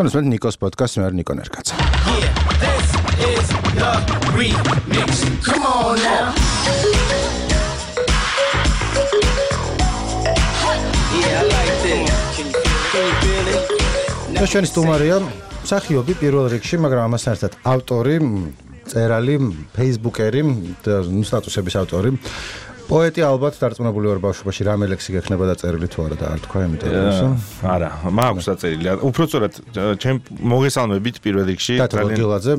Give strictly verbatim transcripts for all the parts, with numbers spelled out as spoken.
თქვენ ნიკოს პოდკასტს მე არ ნიკო ნერკაცა. Yeah, this is the remix. Come on now. Yeah, I like this. Can you feel it? ჩვენი სტუმარია მსახიობი პირველ რიგში, მაგრამ ამასთან ერთად ავტორი, წერალი, ფეისბუქერი და სტატუსების ავტორი. პოეტი ალბათ დარწმუნებული ვარ ბავშვობაში რამე ლექსი გექნება დაწერილი თუ არა და არ თქვა იმიტომ რომ არა მაქვს დაწერილი უბრალოდ ჩემ მოგესალმებით პირველ რიგში ძალიან გილაძე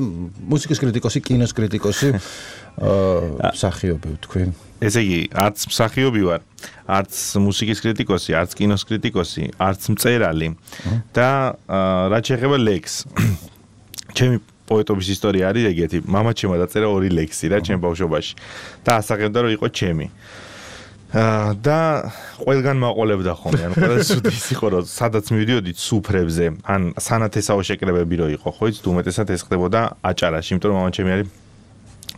მუსიკის კრიტიკოსი კინოს კრიტიკოსი მსახიობი თქვი ესე იგი არც მსახიობი ვარ არც მუსიკის კრიტიკოსი არც კინოს კრიტიკოსი არც მწერალი და რაც შეეხება ლექსს ჩემი პოეტობის ისტორია არის ეგეთი. მამა ჩემმა დაწერა ორი ლექსი რა ჩემ ბავშვობაში და ასახებდა რომ იყო ჩემი. აა და ყველგან მაყოლებდა ხოლმე. ანუ ყველა სუდის იყო რომ სადაც მივიდიოდი სუფრებზე, ან სანათესაო შეკრებები რო იყო, ხო იცით უმეტესად ეს ხდებოდა აჭარაში, იმიტომ რომ მამა ჩემი არის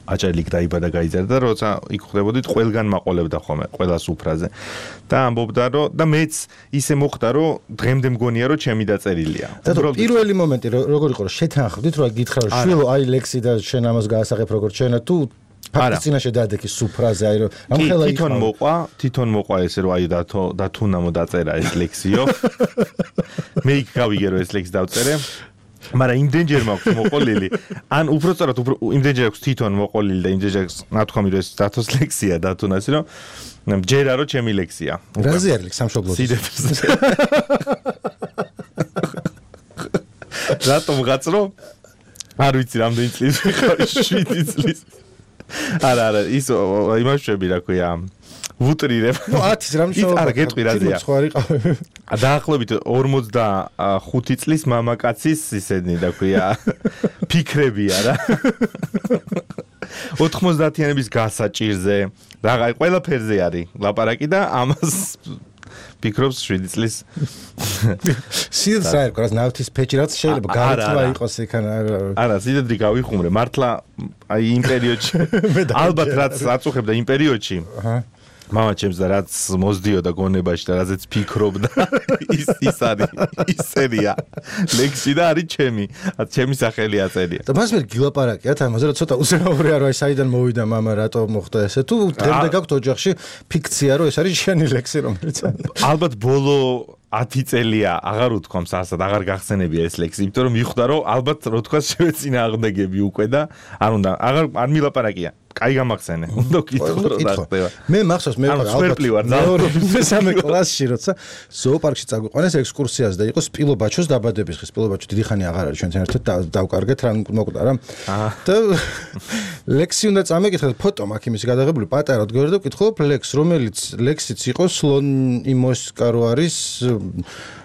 აჭარელი დაიბადა გაიზარდა და როცა იქ ხდებოდით ყველგან მაყოლებდა ხოლმე ყველა სუფრაზე. და ამბობდა რომ და მეც ისე მოხდა რომ დღემდე მგონია რომ ჩემი დაწერილია. და პირველი მომენტი როგორ იყო რომ შეთანხმდით რომ გითხრა რომ შვილო აი ლექსი და შენ ამას გაასახებ როგორ ჩვენა თუ ფაქტის წინაშე დაადექი სუფრაზე აი რომ ამ ხელა თვითონ მოყვა თვითონ მოყვა ესე რომ აი დათო დათუნამო დაწერა ეს ლექსიო მე იქ გავიგე რომ ეს ლექსი დავწერე მაგრამ იმდენჯერ მაქვს მოყოლილი ან უბრალოდ იმდენჯერ აქვს თვითონ მოყოლილი და იმდენჯერ აქვს ნათქვამი რომ ეს დათოს ლექსია დათუნასი რომ ჯერა რომ ჩემი ლექსია რაზე არის ლექსი სამშობლოში სიდეთრზე რატომ გაწრო არ ვიცი რამდენი წლის ვიყავი შვიდი წლის არა არა ის იმაშვები რა ქვია ვუტრირებ. ნუ ათის რამშობლო. არა, გეტყვი რაზეა. დაახლოებით ორმოცდახუთი წლის მამაკაცის ისედნი და ქვია ფიქრებია რა. ოთხმოცდაათიანების გასაჭირზე, რაღა ყველაფერზე არის ლაპარაკი და ამას ფიქრობს შვიდი წლის. სიდეთ რა იყო, რა ნავთის ფეჭი რაც შეიძლება გაიწვა იყოს იქან არა, სიდეთრი გავიხუმრე, მართლა აი იმ პერიოდში ალბათ რაც აწუხებდა იმ პერიოდში. აჰა მამა ჩემს და რაც მოსდიოდა გონებაში და რაზეც ფიქრობდა ის ის არის ის სერია ლექსი და არის ჩემი ჩემი სახელი აწერია და მას მე გილაპარაკიათ ამაზე რომ ცოტა უზრაურია რომ აი საიდან მოვიდა მამა რატო მოხდა ესე თუ დღემდე გაქვთ ოჯახში ფიქცია რომ ეს არის შენი ლექსი რომელიც ალბათ ბოლო ათი წელია აღარ უთქვამს ასად აღარ გახსენებია ეს ლექსი იმიტომ რომ მიხვდა რომ ალბათ რო თქვა შევეცინა აღდეგები უკვე და არ უნდა აღარ არ მილაპარაკია კაი გამახსენე. უნდა გითხო რა ხდება. მე მახსოვს მე ალბათ მეორე მესამე კლასში როცა ზოოპარკში წაგვიყვანეს ექსკურსიაზე და იყო სპილობაჩოს დაბადების დღე. სპილობაჩო დიდი ხანი აღარ არის ჩვენთან ერთად დავკარგეთ რა მოკვდა რა. და ლექსი უნდა წამეკითხეთ ფოტო მაქვს იმის გადაღებული პატარა დგორი და ვკითხულობ ლექს რომელიც ლექსიც იყო სლონ იმოსკარო არის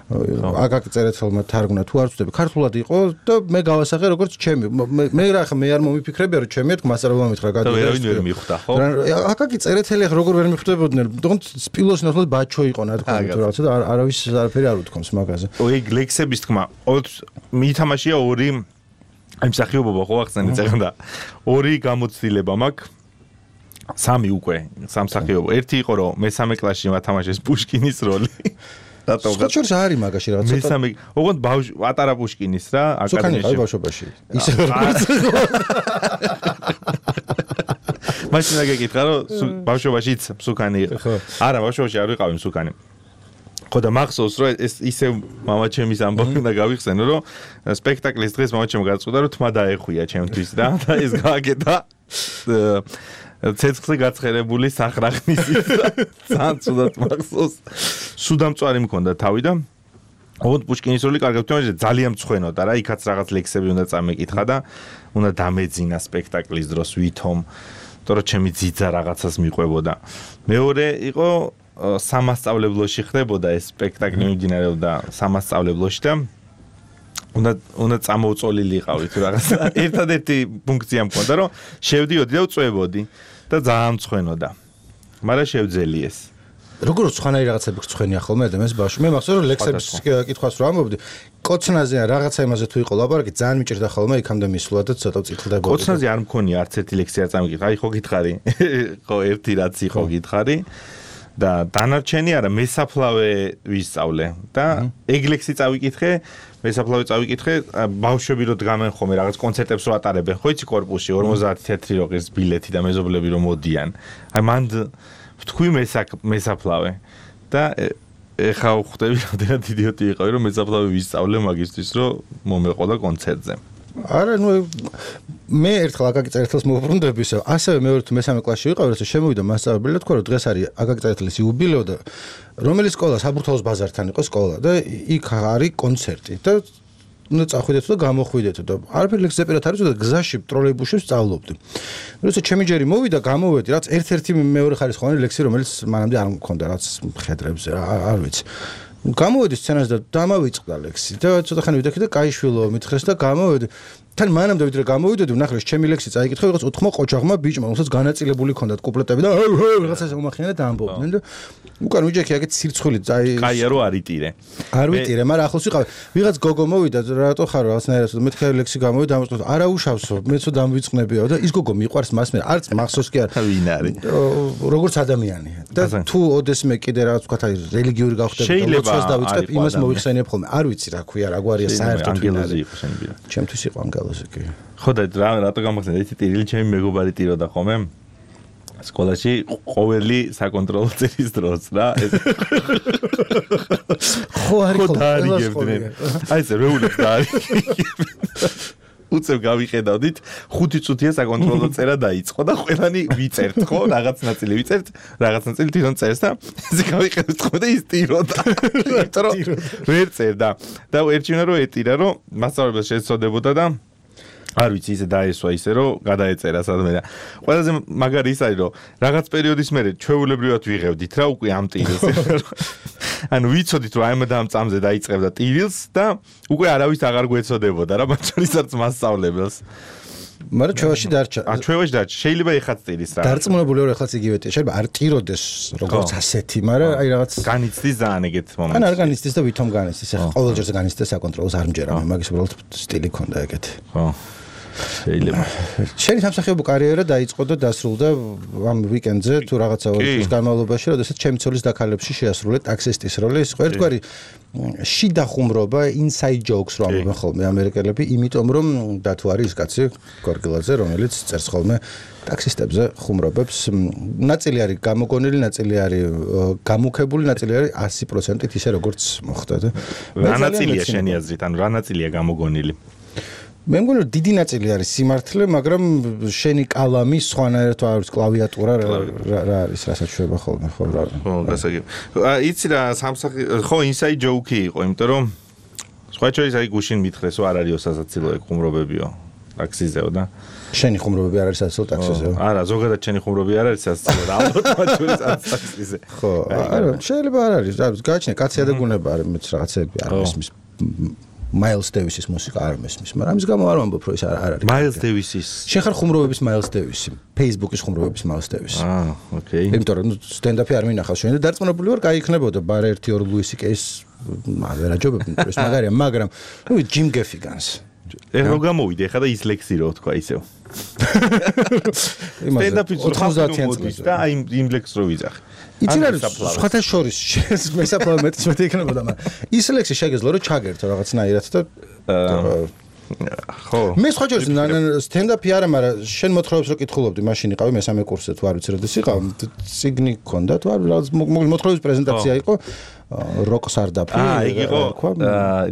აკაკი წერეთელმა თარგმნა თუ არ ვწდები ქართულად იყო და მე გავასახე როგორც ჩემი მე რა ხა მე არ მომიფიქრებია რომ ჩემი ეთქ მასალა მომითხრა გადაგა და ვერავინ ვერ მიხვდა ხო აკაკი წერეთელი ხა როგორ ვერ მიხვდებოდნენ თუმცა სპილოს ნახოთ ბაჩო იყო ნათქვამი თუ რაღაცა და არავის არაფერი არ უთქვამს მაგაზე ოი ლექსების თქმა მითამაშია ორი აი მსახიობობა ხო ახსენე წერდა ორი გამოცდილება მაქვს სამი უკვე სამსახიობო ერთი იყო რომ მესამე კლასში მათამაშეს პუშკინის როლი სკოჩორს არის მაგაში რაღაც მესამე ოღონდ ბავშვი პატარა პუშკინის რა აკადემიაში სუკანი ბავშვობაში ისე მაშინ აგეკითხა რომ ბავშვობაშიც სუკანი იყო არა ბავშვობაში არ ვიყავი სუკანი ხო და მახსოვს რომ ეს ისე მამაჩემის ამბავი უნდა გავიხსენო რომ სპექტაკლის დღეს მამაჩემ გაწყვიტა რომ თმა დაეხვია ჩემთვის და ეს გააკეთა ცეცხლზე გაცხერებული სახრახნის ძალიან ცუდად მახსოვს სუდამწვარი მქონდა თავი და ოღონდ პუშკინის როლი კარგად თამაშობდა ძალიან მწვენოდა რა იქაც რაღაც ლექსები უნდა წამეკითხა და უნდა დამეძინა სპექტაკლის დროს ვითომ თორე ჩემი ძიძა რაღაცას მიყვებოდა მეორე იყო სამასწავლებლოში ხდებოდა ეს სპექტაკლი მიმდინარეობდა სამასწავლებლოში და უნდა უნდა წამოუწოლილიყავი თუ რაღაცა ერთადერთი ფუნქცია მქონდა რომ შევდიოდი და ვწვევოდი და ძალიან მწვენოდა მაგრამ შევძელი ეს როგორ ცხანაი რაღაცები გწვენია ხოლმე ადამიანს ბავშვი მე მახსოვს რომ ლექსების კითხვას რო ამბობდი კოცნაზე რაღაცა იმაზე თუ იყო ლაპარაკი ძალიან მიჭირდა ხოლმე იქამდე მისვლა და ცოტა წიხლდებოდა კოცნაზე არ მქონია არც ერთი ლექსი არ წამიკითხა აი ხო გითხარი ხო ერთი რაც იყო გითხარი და დანარჩენი არა მესაფლავე ვისწავლე და ეგლექსი წავიკითხე მესაფლავე წავიკითხე ბავშვები რო დგამენ ხოლმე რაღაც კონცერტებს რო ატარებენ ხო იცი კორპუსში ორმოცდაათი თეთრი როღის ბილეთი და მეზობლები რო მოდიან აი მან თქვი მესაფლავე და ეხა ხვდები რამდენად იდიოტი იყავი რომ მესაფლავე ვისწავლე მაგისტრის რო მომეყოდა კონცერტზე არა ნუ მე ერთხელ აკაკი წერეთელს მოვუბრუნდები ისე ასევე მეორე თუ მესამე კლასში ვიყავი როცა შემოვიდა მასწავლებელი და თქვა რომ დღეს არის აკაკი წერეთელის იუბილეო და რომელიც სკოლა საბურთალოს ბაზართან იყო სკოლა და იქ არის კონცერტი და ну წახვიდეთ და გამოხვიდეთ და არაფერი ლექსზე პირად არის და გზაში ტროლეიბუსში ვსწავლობდი. როცა ჩემი ჯერი მოვიდა გამოვედი რაც ერთ-ერთი მეორე ხარისხოვანი ლექსი რომელიც მანამდე არ მქონდა რაც მხედრებზე არ ვიცი. გამოვედი სცენაზე და დამავიწყდა ლექსი და ცოტა ხანი ვიდექი და კაიშვილო მითხრეს და გამოვედი თან მანამდე ვიდრე გამოვიდოდი ვნახე ჩემი ლექსი წაიკითხე ვიღაც ოთხმო ყოჩაღმა ბიჭმა რომელსაც განაწილებული ჰქონდათ კუპლეტები და რაღაცას უმახიან და ამბობდნენ და უკან ვიჯექი აგეთ სირცხვილი წაი კაია რო არიტირე არ ვიტირე მაგრამ ახლოს ვიყავ ვიღაც გოგო მოვიდა რატო ხარ რაღაცნაირად და მეთქე ლექსი გამოვიდა ამბობს არა უშავსო მეცო დამვიწყნებიო და ის გოგო მიყვარს მას მე არც მახსოვს კი არ ვინ არის როგორც ადამიანი და თუ ოდესმე კიდე რაღაც ვთქვათ აი რელიგიური გავხდები და ლოცვას დავიწყებ იმას მოიხსენიებ ხოლმე არ ვიცი რა ქვია რა გვარია საერთოდ ჩემთვის იყო ანგელოზი კი ხო და რა რატო გამახსენე იცი ტირილი ჩემი მეგობარი ტიროდა ხოლმე სკოლაში ყოველი საკონტროლო წერის დროს რა ეს ხო არის ხო დაარიგებდნენ აი ეს რეულებს დაარიგებდნენ უცებ გავიხედავდით ხუთი წუთია საკონტროლო წერა დაიწყო და ყველანი ვიწერთ ხო რაღაც ნაწილი ვიწერთ რაღაც ნაწილი თვითონ წერს და ესე გავიხედავთ ხო და ის ტიროდა იმიტომ რომ ვერ წერდა და ერჩივნა რომ ეტირა რომ მასწავლებელს შეეცოდებოდა და არ ვიცი ისე დაესვა ისე რომ გადაეწერა სადმე და ყველაზე მაგარი ის არის რომ რაღაც პერიოდის მერე ჩვეულებრივად ვიღებდით რა უკვე ამ ტირილს ანუ ვიცოდით რომ აი ამ და ამ წამზე დაიწყებდა ტირილს და უკვე არავის აღარ გვეცოდებოდა რა მათ შორის არც მასწავლებელს მაგრამ ჩვევაში დარჩა ა ჩვევაში დარჩა შეიძლება ეხაც ტირის რა დარწმუნებული ვარ ეხლაც იგივე შეიძლება არ ტიროდეს როგორც ასეთი მაგრამ აი რაღაც განიცდის ძალიან ეგეთ მომენტი ან არ განიცდის და ვითომ განიცდის ეხლა ყოველჯერზე განიცდის საკონტროლოს არ მჯერა მე მაგის უბრალოდ სტილი ქონდა ეგეთი ხო შეიძლება შენი სამსახიობო კარიერა დაიწყო და დასრულდა ამ ვიკენდზე თუ რაღაცა ორი განმავლობაში როდესაც ჩემი ცოლის დაქალებში შეასრულე ტაქსისტის როლი ის ერთგვარი შიდა ხუმრობა inside jokes რომ ამბობენ ხოლმე ამერიკელები იმიტომ რომ დათუ არის ის კაცი გორგილაძე რომელიც წერს ხოლმე ტაქსისტებზე ხუმრობებს ნაწილი არის გამოგონილი ნაწილი არის გამუქებული ნაწილი არის ასი პროცენტით ისე როგორც მოხდა და რა ნაწილია შენი აზრით ანუ რა ნაწილია გამოგონილი მე მგონი რომ დიდი ნაწილი არის სიმართლე, მაგრამ შენი კალამი სხვანაირად არის კლავიატურა რა არის რასაც შვება ხოლმე ხო რა. ხო, გასაგებ. იცი რა სამსახი ხო inside joke-ი იყო, იმიტომ რომ სხვა შორის აი გუშინ მითხრეს რომ არ არისო სასაცილო ეგ ხუმრობებიო ტაქსიზეო და შენი ხუმრობები არ არის სასაცილო ტაქსიზეო. არა, ზოგადად შენი ხუმრობები არ არის სასაცილო და ალბათ მათ შორის არის ტაქსიზე. ხო, არა, შეიძლება არ არის. გააჩნია კაცია და გუნება არის მეც რაღაცები არ მისმის Miles Davis-ის მუსიკა არ მესმის, მაგრამ ამის გამო არ ვამბობ, რომ ის არ არის. Miles Davis-ის. შენ ხარ ხუმრობების Miles Davis-ი, Facebook-ის ხუმრობების Miles Davis-ი. აა, ოკეი. იმიტომ რომ სტენდაპი არ მინახავს შენ და დარწმუნებული ვარ, კაი იქნებოდა ბარ ერთი ორ Louis C K-ს მაგრამ აჯობებდი, ეს მაგარია, მაგრამ ნუ Jim Gaffigan-ს. ეხლა გამოვიდე, ეხლა და ის ლექსი რო თქვა ისევ. სტენდაპი ოთხმოცდაათიან წელს და აი იმ ლექსს რო ვიძახე. იცი რა სხვათა შორის მესაფლავე მეტის მეტი იქნებოდა მაგრამ ის ლექსი შეგეძლო რომ ჩაგერთო რაღაცნაირად და ხო მე სხვა შორის სტენდაპი არა მაგრამ შენ მოთხრობებს რო კითხულობდი მაშინ იყავი მესამე კურსზე თუ არ ვიცი როდეს იყავ ციგნი გქონდა თუ არ რაღაც მოთხრობის პრეზენტაცია იყო როკ სარდაფი აა იგი იყო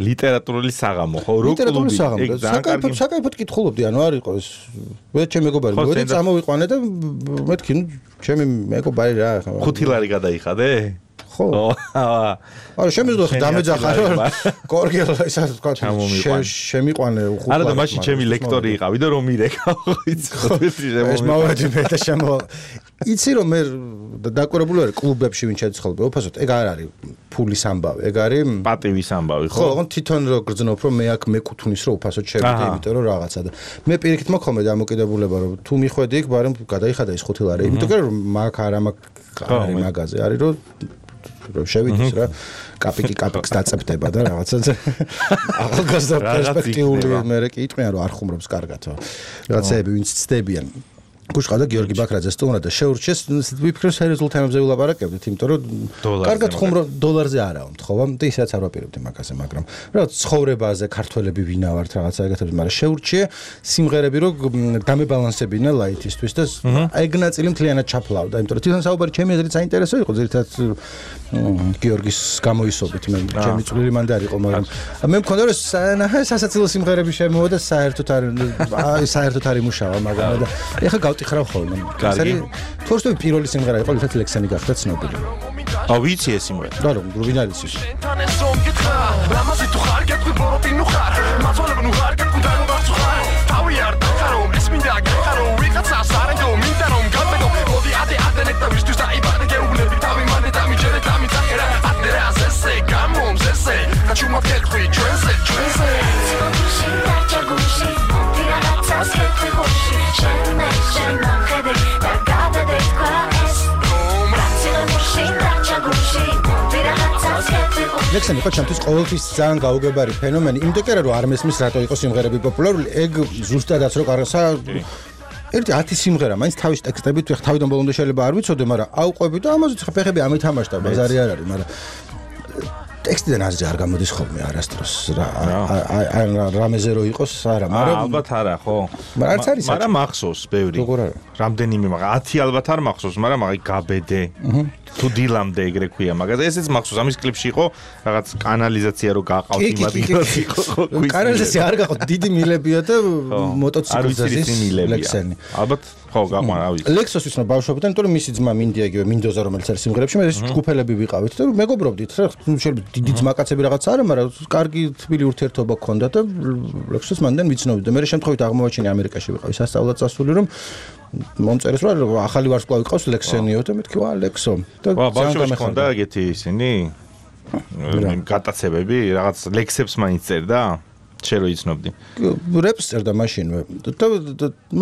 ლიტერატურული საღამო ხო როკ ლიტერატურული საღამო საკაიფოდ საკაიფოდ კითხულობდი ანუ არ იყო ეს მე ჩემი მეგობარი მოდი წამოვიყვანე და მეთქი ნუ ჩემი მეგობარი რა ხუთი ლარი გადაიხადე ხო არა შემიძლია დამეძახა რომ გორგელა ისაც თქვა შემიყვანე უხუპლად არა და მაშინ ჩემი ლექტორი იყავი და რომ მირეკა ხო იცი ხო ეს მოვედი მე და შემო იცი რომ მე დაკვირებული ვარ კლუბებში ვინ შეძხოლები უფასოდ ეგ არ არის ფულის ამბავი ეგ არის პატივის ამბავი ხო ხო ოღონდ თვითონ რო გრძნობ რომ მე აქ მეკუთვნის რომ უფასოდ შევიდე იმიტომ რომ რაღაცა და მე პირიქით მოხომე დამოკიდებულება რომ თუ მიხვედი იქ ბარემ გადაიხადა ის ხუთი ლარი იმიტომ რომ მაგ არა მაგ არის მაგაზე არის რომ რომ შევიდეს რა კაპიკი კაპიკს დაწებდება და რაღაცა ახალგაზრდა პერსპექტიული მე კი იტყვიან რომ არ ხუმრობს კარგად რაღაცეები ვინც ცდებიან გუშყავდა გიორგი ბაქრაძე სტუმრად და შეურჩეს ვიფიქრე სერიოზულ თემებზე ვილაპარაკებდით, იმიტომ რომ კარგად ხუმრო დოლარზე არა ვთხოვა და ისაც არ ვაპირებდი მაგაზე, მაგრამ რაღაც ცხოვრებაზე ქართველები ვინა ვართ რაღაცა ეგეთებს, მაგრამ შეურჩიე სიმღერები რომ დამებალანსებინა ლაითისთვის და ეგ ნაწილი მთლიანად ჩაფლავდა, იმიტომ რომ თვითონ საუბარი ჩემი აზრით საინტერესო იყო, ზირთად გიორგის გამოისობით მე ჩემი წვლილი მანდ არ იყო, მაგრამ მე მქონდა რომ სასაცილო სიმღერები შემოვა და საერთოდ არ საერთოდ არ იმუშავა, მაგრამ და ეხლა გავტიხრავ ხოლმე. კარგი. თორსტოი პირველი სიმღერა იყო, რითაც ლექსენი გახდა ცნობილი. აუ ვიცი ეს სიმღერა. და რომ რუბინ არის ის. ლექსენი იყო ჩემთვის ყოველთვის ძალიან გაუგებარი ფენომენი, იმიტომ კი არა რომ არ მესმის რატო იყო სიმღერები პოპულარული, ეგ ზუსტადაც რო კარგა ერთი ათი სიმღერა მაინც თავის ტექსტებით ვიხ თავიდან ბოლომდე შეიძლება არ ვიცოდე, მაგრამ აუყვები და ამაზე ხა ფეხები ამითამაშდა, ბაზარი არ არის, მაგრამ ტექსტიდან აზრი არ გამოდის ხოლმე არასდროს რა რამეზე რო იყოს არა, მაგრამ ალბათ არა, ხო? მაგრამ არც არის მაგრამ მახსოვს ბევრი. როგორ არა? რამდენიმე მაგრამ ათი ალბათ არ მახსოვს, მაგრამ აი გაბედე. თუ დილამდე ეგრე ქვია, მაგრამ ესეც მახსოვს, ამის კლიპში იყო რაღაც კანალიზაცია რო გაყავთ იმ ადგილას იყო. კანალიზაცია არ გაყავთ, დიდი მილებია და მოტოციკლზე ზის ლექსენი. ალბათ ხო გაყვან, რა ვიცი. ლექსოს ვიცნობ ბავშვობიდან, იმიტომ რომ მისი ძმა მინდია იგივე მინდოზა რომელიც არის სიმღერებში, მე ეს ჯგუფელები ვიყავით და მეგობრობდით, რა შეიძლება დიდი ძმაკაცები რაღაც არა, მაგრამ კარგი თბილი ურთიერთობა გქონდა და ლექსოს მანდან ვიცნობდი და მე შემთხვევით აღმოაჩინე ამერიკაში ვიყავი სასწავლად წასული, რომ მომწერეს რომ ახალი ვარსკვლავი ყავს ლექსენიო და მეთქი ვა ლექსო და ბავშვებში ხონდა ეგეთი ისინი გატაცებები რაღაც ლექსებს მაინც წერდა შენ რო იცნობდი რეპს წერდა მაშინვე და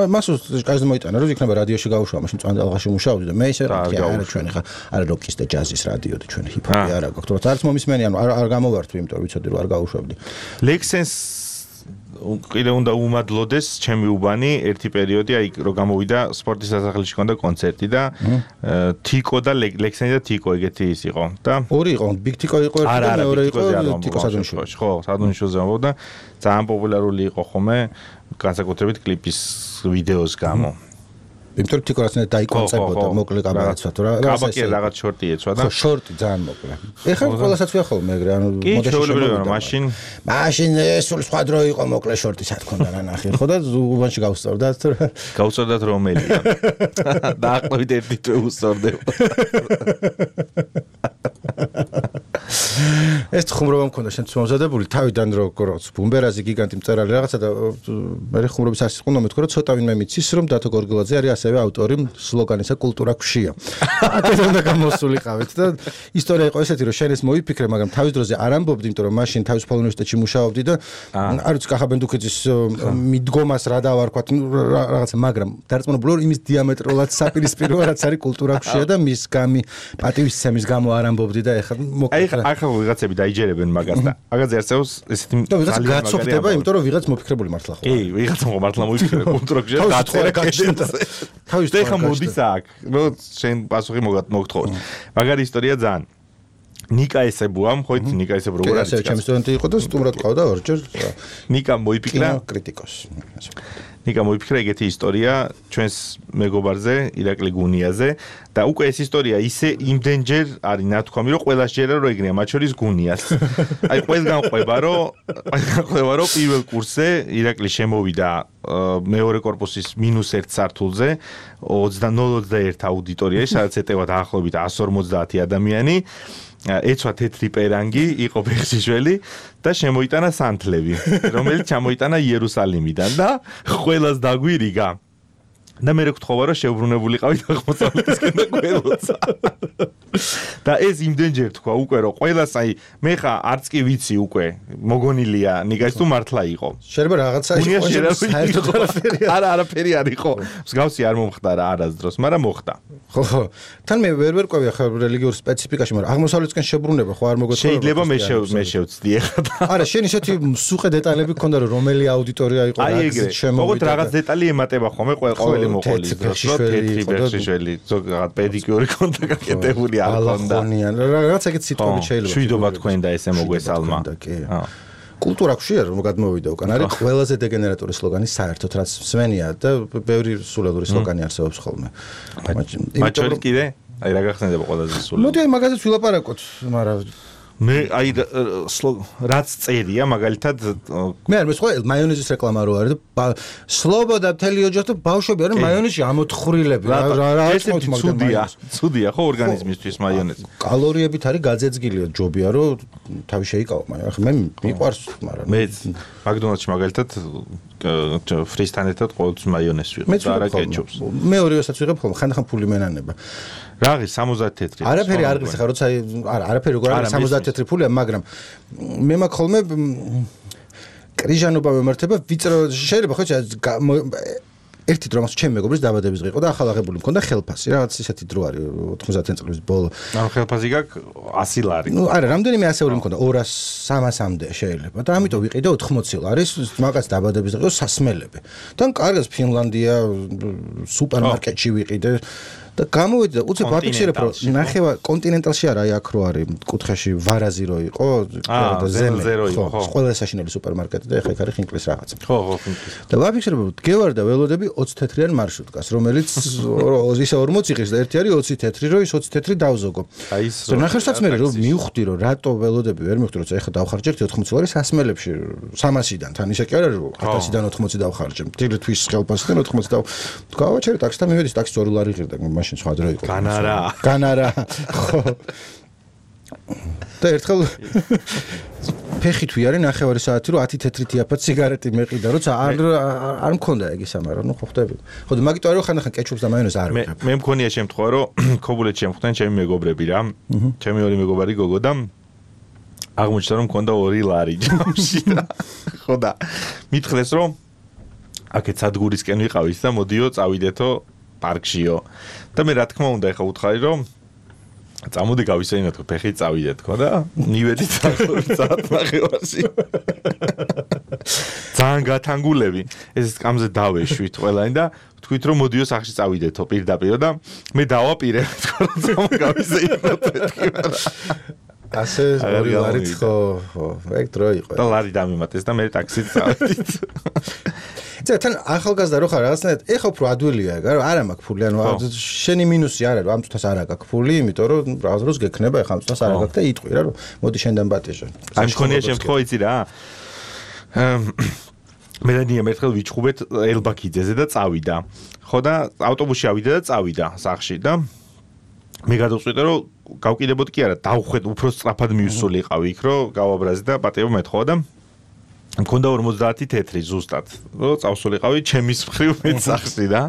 მას კაჟზე მოიტანა რომ იქნება რადიოში გავუშვა მაშინ წვანდალღაში მუშაობდი და მე ისე არა ჩვენ ხა არა როკის და ჯაზის რადიო და ჩვენ ჰიპ-ჰოპი არა გვაქვს არც მომისმენი ანუ არ გამოვართვი იმიტომ რომ ვიცოდი რომ არ გავუშვებდი ლექსენს კიდე უნდა უმადლოდეს ჩემი უბანი ერთი პერიოდი აი რომ გამოვიდა სპორტის სასახლეში ქონდა კონცერტი და თიკო და ლექსენი და თიკო ეგეთი ის იყო და ორი იყო ბიგ თიკო იყო ერთი და მეორე იყო თიკო სადონიშვილი ხო სადონიშვილზე ამბობდა ძალიან პოპულარული იყო ხომ განსაკუთრებით კლიპის ვიდეოს გამო იმიტომ რომ თიკო რაღაცნაირად დაიკონცეპტდა მოკლე კაბაკაცად რა კაბაკი რაღაც შორტი ეცვა და ხო შორტი ძალიან მოკლე ეხლა ყველასაც ვიახოლმე ეგრე ანუ მოდეშეულებრივია მაშინ მაშინ სულ სხვა დრო იყო მოკლე შორტი სათქონდა რა ნახე ხო და უბანში გავსწორდათ გავსწორდათ რომელია დაახლოებით ერთი თვე უსწორდება ეს ხუმრობა მქონდა შენც მომზადებული თავიდან როგორც ბუმბერაზი გიგანტი მწერალი რაღაცა და მე ხუმრობის არსი ყუნდა მეთქო რომ ცოტა ვინმე მიცის რომ დათო გორგელაძე არის ასევე ავტორი სლოგანისა კულტურა ქვია. აქედან და გამოსულიყავით და ისტორია იყო ესეთი რომ შენ ეს მოიფიქრე, მაგრამ თავის დროზე არ ამბობდი, იმიტომ რომ მაშინ თავისუფალ უნივერსიტეტში მუშაობდი და არ ვიცი კახაბენდუქიძის მიდგომას რა დავარქვათ რაღაცა, მაგრამ დარწმუნებული ვარ იმის დიამეტრულად საპირისპიროა რაც არის კულტურა ქვია და მის გამი პატივისცემის გამო არ ამბობდი და ეხლა აი ახლა ვიღაცები დაიჯერებენ მაგას და მაგაზე არსებობს ესეთი ვიღაც გაცოფდება, იმიტომ რომ ვიღაც მოფიქრებული მართლა ხო. კი, ვიღაც მართლა მოიფიქრე კულტურა ქვია დაწერა გაჩნდა. თავის და ეხა მოდის აქ. ნუ შენ პასუხი მოგთხოვოთ. მაგარი ისტორია ძალიან. ნიკა ესებუამ, ხო იცი ნიკა ესებუ როგორ არის? ჩემი სტუდენტი იყო და სტუმრად ყავდა ორჯერ. ნიკა მოიფიქრა კრიტიკოსი. ნიკა მოიფიქრა ეგეთი ისტორია ჩვენს მეგობარზე, ირაკლი გუნიაზე და უკვე ეს ისტორია ისე იმდენჯერ არის ნათქვამი, რომ ყველას ჯერა რომ ეგრეა, მათ შორის გუნიას. აი ყველგან ყვება, რომ ყვება, რომ პირველ კურსზე ირაკლი შემოვიდა მეორე კორპუსის მინუს ერთ სართულზე ოცდანოლ ოცდაერთი აუდიტორიაში, სადაც ეტევა დაახლოებით εκατს ორმოცდაათი ადამიანი. ეცვა თეთრი პერანგი, იყო ბეღშიშველი და შემოიტანა სანთლები, რომელიც ჩამოიტანა იერუსალიმიდან და ყველას დაგვირიგა. და მე რეკთხოვა რომ შეუბრუნებულიყავით აღმოსავლეთისკენ და ყველოცა. და ეს იმდენჯერ თქვა უკვე რომ ყველას აი მე ხა არც კი ვიცი უკვე მოგონილია ნიგას თუ მართლა იყო. შეიძლება რაღაცა იყო საერთოდ არაფერი. არა არაფერი არ იყო. მსგავსი არ მომხდარა არასდროს, მაგრამ მოხდა. ხო ხო. თან მე ვერ ვერ ყვევი ახლა რელიგიურ სპეციფიკაში, მაგრამ აღმოსავლეთისკენ შებრუნება ხო არ მოგეცოლა. შეიძლება მე მე შევცდი ახლა. არა, შენ ისეთი სუყე დეტალები გქონდა რომ რომელი აუდიტორია იყო რა გზით შემოვიდა. აი ეგრე. როგორც რაღაც დეტალი ემატება ხოლმე ყოველ წითელი მოყოლის დროს რო თეთრი ბექშიშველი ზოგადად პედიკიური კონდა გაკეთებული არ კონდა რაღაც ეგეთ სიტყვები შეიძლება შვიდობა თქვენ და ესე მოგვესალმა კულტურა ხშირ რომ გადმოვიდა უკან არის ყველაზე დეგენერატური სლოგანი საერთოდ რაც სვენია და ბევრი სულელური სლოგანი არსებობს ხოლმე მათ შორის კიდე აი რა გახსენდება ყველაზე სულელი მოდი აი მაგაზეც ვილაპარაკოთ მაგრამ მე აი რაც წერია მაგალითად მე არ მესხო მაიონეზის რეკლამა რო არის და სლობოდა მთელი ოჯახი და ბავშვები არის მაიონეზში ამოთხხრილები რა რა ეს ცუდია ცუდია ხო ორგანიზმისთვის მაიონეზი კალორიებით არის გაძეძგილი ჯობია რომ თავი შეიკავო მაგრამ მე მიყვარს მაგრამ მე მაკდონალდსში მაგალითად ფრისთან ერთად ყოველთვის მაიონეზს ვიღებ და არა კეჩუპს მე ორივესაც ვიღებ ხოლმე ხანდახან ფული მენანება რაღი სამოცდაათი თეთრი არაფერი არ ღირს ხა როცა არა არაფერი როგორ არის სამოცდაათი თეთრი ფულია მაგრამ მე მაქვს ხოლმე კრიჟანობა მემართება ვიწრო შეიძლება ხო ერთი დრო მას ჩემ მეგობრის დაბადების დღე იყო და ახალ აღებული მქონდა ხელფასი რაღაც ისეთი დრო არის ოთხმოცდაათი წლის ბოლო ანუ ხელფასი გაქვს ასი ლარი ნუ არა რამდენიმე ასეული მქონდა ორას სამასამდე შეიძლება და ამიტომ ვიყიდე ოთხმოცი ლარის მაგას დაბადების დღე სასმელები თან კარგად ფინლანდია სუპერმარკეტში ვიყიდე და გამოვედი და უცებ ვაფიქსირებ რომ ნახევა კონტინენტალში არა აი აქ რო არის კუთხეში ვარაზი რო იყო და ზემზე რო იყო ხო ყველა საშინელი სუპერმარკეტი და ეხა იქ არის ხინკლის რაღაცა ხო ხო ხინკლის და ვაფიქსირებ რომ დგევარ და ველოდები ოცი თეთრიან მარშრუტკას რომელიც ისე ორმოცი ღირს და ერთი არის ოცი თეთრი რო ის ოცი თეთრი დავზოგო აი ის და ნახევარსაც მე რომ მივხვდი რომ რატო ველოდები ვერ მივხვდი რომ ეხა დავხარჯე ოთხმოცი ლარი სასმელებში სამასიდან თან ისე კი არა რომ ათასიდან ოთხმოცი დავხარჯე მთელი თვის ხელფასიდან ოთხმოცი და გავაჩერე ტაქსი და მივედი ტაქსი ორი ლარი ღირდა მაშინ სხვა დრო იყო განარა განარა ხო და ერთხელ ფეხით ვიარე ნახევარი საათი რომ ათი თეთრი თიაფად სიგარეტი მეყიდა როცა არ არ მქონდა ეგ ისა მაგრამ ნუ ხო ხდები ხო და მაგიტო არის ხანდახან კეჩუპს და მაიონეზს არ ვიღებ მე მქონია შემთხვევა რომ ქობულეთში შემხვდნენ ჩემი მეგობრები რა ჩემი ორი მეგობარი გოგო და აღმოჩნდა რომ მქონდა ორი ლარი ჯამში და ხო და მითხრეს რომ აქეთ სადგურისკენ ვიყავით და მოდიო წავიდეთო პარკშიო და მე რა თქმა უნდა ეხა უთხარი რომ წამოდი გავისეინოთ ფეხი წავიდეთ ხო და მივედით საათი ნახევარში ძალიან გათანგულები ეს სკამზე დავეშვით ყველანი და თქვით რომ მოდიო სახში წავიდეთო პირდაპირ და მე დავაპირე თქო რომ წამოგავისეინოთ მეთქი ასე ორი ლარით ხო ხო ეგ დრო იყო და ლარი დამიმატეს და მე ტაქსით წავედით ცა თან ახალგაზრდა რო ხარ რაღაცნაირად ეხა უფრო ადვილია ეგ არა მაქვს ფული ანუ შენი მინუსი არ არის რომ ამ წუთას არ აქვს ფული იმიტომ რომ რაღაც დროს გექნება ეხა ამ წუთას არ აქვს და იტყვი რა რომ მოდი შენდან ბატიჟე ამ მქონია შემთხვევა იცი რა მე და ნია მერთხელ ვიჩხუბეთ ელბაქიძეზე და წავიდა ხო და ავტობუსში ავიდა და წავიდა სახში და მე გადავწყვიტე რომ გავკიდებოდ კი არა დავხვედ უფრო სწრაფად მივსულიყავი იქ რომ გავაბრაზი და პატიო მეთხოვა და მქონდა ორმოცდაათი თეთრი ზუსტად რომ წავსულიყავი ჩემის მხრივ მეც სახში და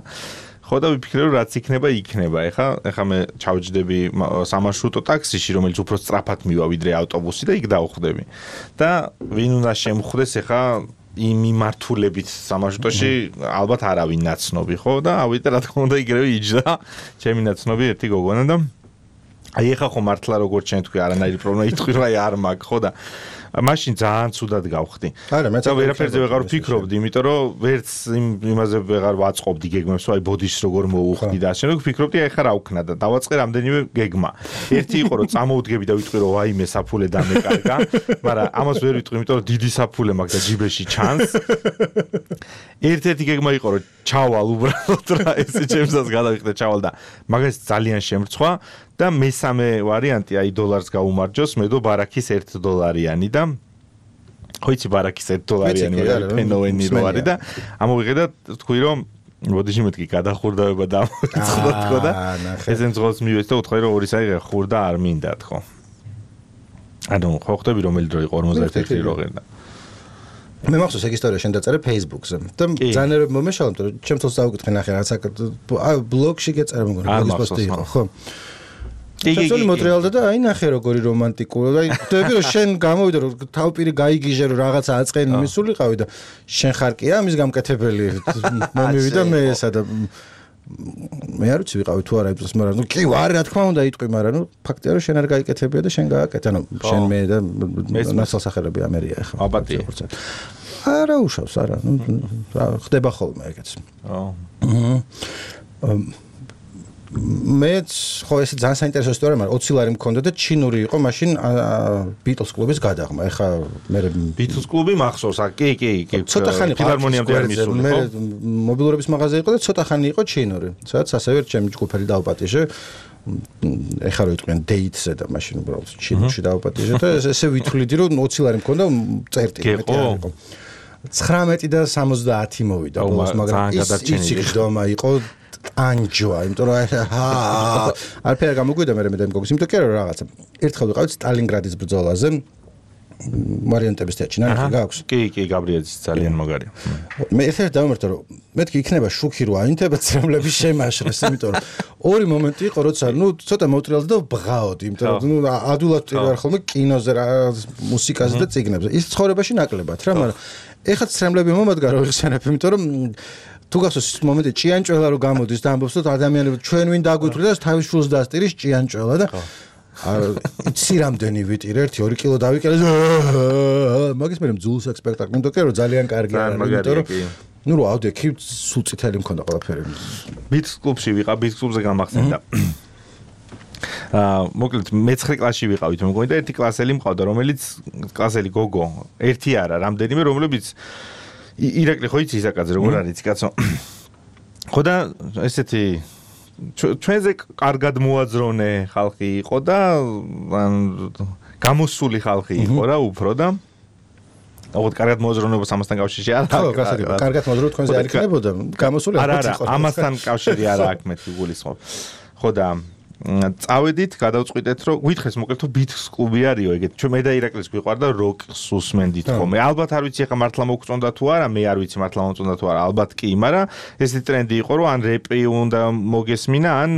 ხო და ვიფიქრე რომ რაც იქნება იქნება ეხა ეხა მე ჩავჯდები სამარშრუტო ტაქსიში რომელიც უფრო სწრაფად მივა ვიდრე ავტობუსი და იქ დავხვდები და ვინ უნდა შემხვდეს ეხა იმ მიმართულებით სამარშრუტოში ალბათ არავინ ნაცნობი ხო და ავიდე რა თქმა უნდა იგივე იჯდა ჩემი ნაცნობი ერთი გოგონა და აი ეხა ხო მართლა როგორც შენ თქვი არანაირი პრობლემა იტყვი რომ აი არ მაქვს ხო და მაშინ ძალიან ცუდად გავხდი. არა, მეც ვერაფერზე ვეღარ ვფიქრობდი, იმიტომ რომ ვერც იმაზე ვეღარ ვაწყობდი გეგმებს, აი ბოდიშს როგორ მოუხდი და ასე რომ ვფიქრობდი აი ხა რა ვქნა და დავაწყე რამდენიმე გეგმა. ერთი იყო რომ წამოვდგები და ვიტყვი რომ ვაიმე საფულე დამეკარგა, მაგრამ ამას ვერ ვიტყვი, იმიტომ რომ დიდი საფულე მაქვს და ჯიბეში ჩანს. ერთ-ერთი გეგმა იყო რომ ჩავალ უბრალოდ რა ესე ჩემსაც გადავიხდე ჩავალ და მაგას ძალიან შემრცხვა და მესამე ვარიანტი აი დოლარს გაუმარჯოს, მე დო ბარაქის ერთ დოლარიანი და ხო იცი ბარაქის ერთ დოლარიანი ფენოვენი რო არის და ამოვიღე და თქვი რომ მოდიში მეთქი გადახურდავება და ამოწყდა თქო და ესენ ძღოლს მივეც და უთხარი რომ ორი საი ხურდა არ მინდა თქო. ანუ ხო ხდები რომელი დრო იყო ორმოცდაერთი რო ღერდა. მე მახსოვს ეგ ისტორია შენ დაწერე Facebook-ზე და ძალიან მომეშალა იმიტომ რომ ჩემ თავს დავკითხე ნახე რაღაც აი ბლოგში გეწერა მგონი ბლოგის პოსტი იყო ხო ჩაცოლი მოტრიალდა და აი ნახე როგორი რომანტიკურია და აი ხვდები რომ შენ გამოვიდა რომ თავპირი გაიგიჟე რომ რაღაცა აწყენი მისულიყავი და შენ ხარ კი ამის გამკეთებელი მომივიდა მე ესა და მე არ ვიცი ვიყავი თუ არა იმ დროს, მაგრამ ნუ კი ვარ, რა თქმა უნდა იტყვი, მაგრამ ნუ ფაქტია რომ შენ არ გაიკეთებია და შენ გააკეთე, ანუ შენ მე და ნაცვალსახელები ამერია ახლა. აბატია. არა უშავს, არა, ნუ ხდება ხოლმე ეგეც. აა მეც ხო ეს ძალიან საინტერესო ისტორია, მაგრამ ოცი ლარი მქონდა და ჩინური იყო მაშინ ბიტლს კლუბის გადაღმა. ეხა მე ბიტლს კლუბი მახსოვს, კი, კი, კი. ცოტა ხანი ფილარმონიამდე არ მისული, მე მობილურების მაღაზია იყო და ცოტა ხანი იყო ჩინური. სადაც ასევე ჩემი ჯგუფელი დაუპატიჟე. ეხა რო იტყვიან დეიტზე და მაშინ უბრალოდ ჩინურში დაუპატიჟე და ესე ვითვლიდი რომ ოცი ლარი მქონდა წერტილი მეტი არ იყო. ცხრამეტი და სამოცდაათი მოვიდა ბოლოს, მაგრამ ის იქდომა იყო ანჯოა, იმიტომ რომ არაფერი არ გამოგვიდა მე მე და მგოგის, იმიტომ კი არა რაღაცა. ერთხელ ვიყავით სტალინგრადის ბრძოლაზე. მარიონეტების თეატრში ნახე გაქვს. კი, კი, გაბრიელის ძალიან მაგარია. მე ერთ-ერთ დავმერტო რომ მეთქი იქნება შუქი რო აინთება ცრემლების შემაშრეს, იმიტომ რომ ორი მომენტი იყო, როცა ნუ ცოტა მოვტრიალდი და ვბღაოდი, იმიტომ რომ ნუ ადულად ვარ ხოლმე კინოზე რა მუსიკაზე და წიგნებზე. ის ცხოვრებაში ნაკლებად რა, მაგრამ ეხლა ცრემლები მომადგა რო იხსენებ, იმიტომ რომ თუ გახსოვს ის მომენტი ჭიანჭველა რო გამოდის და ამბობს რომ ადამიანები ჩვენ ვინ დაგვიტყვი და თავის შულს დასტირის ჭიანჭველა და იცი რამდენი ვიტირე ერთი ორი კილო დავიკელე მაგის მე მძულს აქ სპექტაკლი იმიტომ კი რომ ძალიან კარგი არის იმიტომ რომ ნუ რა ავდექი სულ წითელი მქონდა ყველაფერი ბიტს კლუბში ვიყავ ბიტს კლუბზე გამახსენდა აა მოკლედ მეცხრე კლასში ვიყავით მეგონი და ერთი კლასელი მყავდა რომელიც კლასელი გოგო ერთი არა რამდენიმე რომლებიც ირაკლი ხო იცი ისაკაძე როგორ არის კაცო ხო და ესეთი ჩვენზე კარგად მოაძრონე ხალხი იყო და გამოსული ხალხი იყო რა უფრო და აღოდ კარგად მოაძრონებას ამასთან კავშირი არ აქვს კარგად მოაძრო თქვენზე არ იქნებოდა გამოსული არ არა ამასთან კავშირი არ აქვს მეთქი გულისხმობ ხო და წავედით, გადავწყვიტეთ, რომ გითხეს მოკლედ თუ ბიტს კლუბი არისო, ეგეთ. ჩვენ მე და ირაკლის გვიყვარდა როკს უსმენდით ხოლმე. ალბათ არ ვიცი ახლა მართლა მოგწონდა თუ არა, მე არ ვიცი მართლა მომწონდა თუ არა, ალბათ კი, მაგრამ ესეთი ტრენდი იყო, რომ ან რეპი უნდა მოგესმინა, ან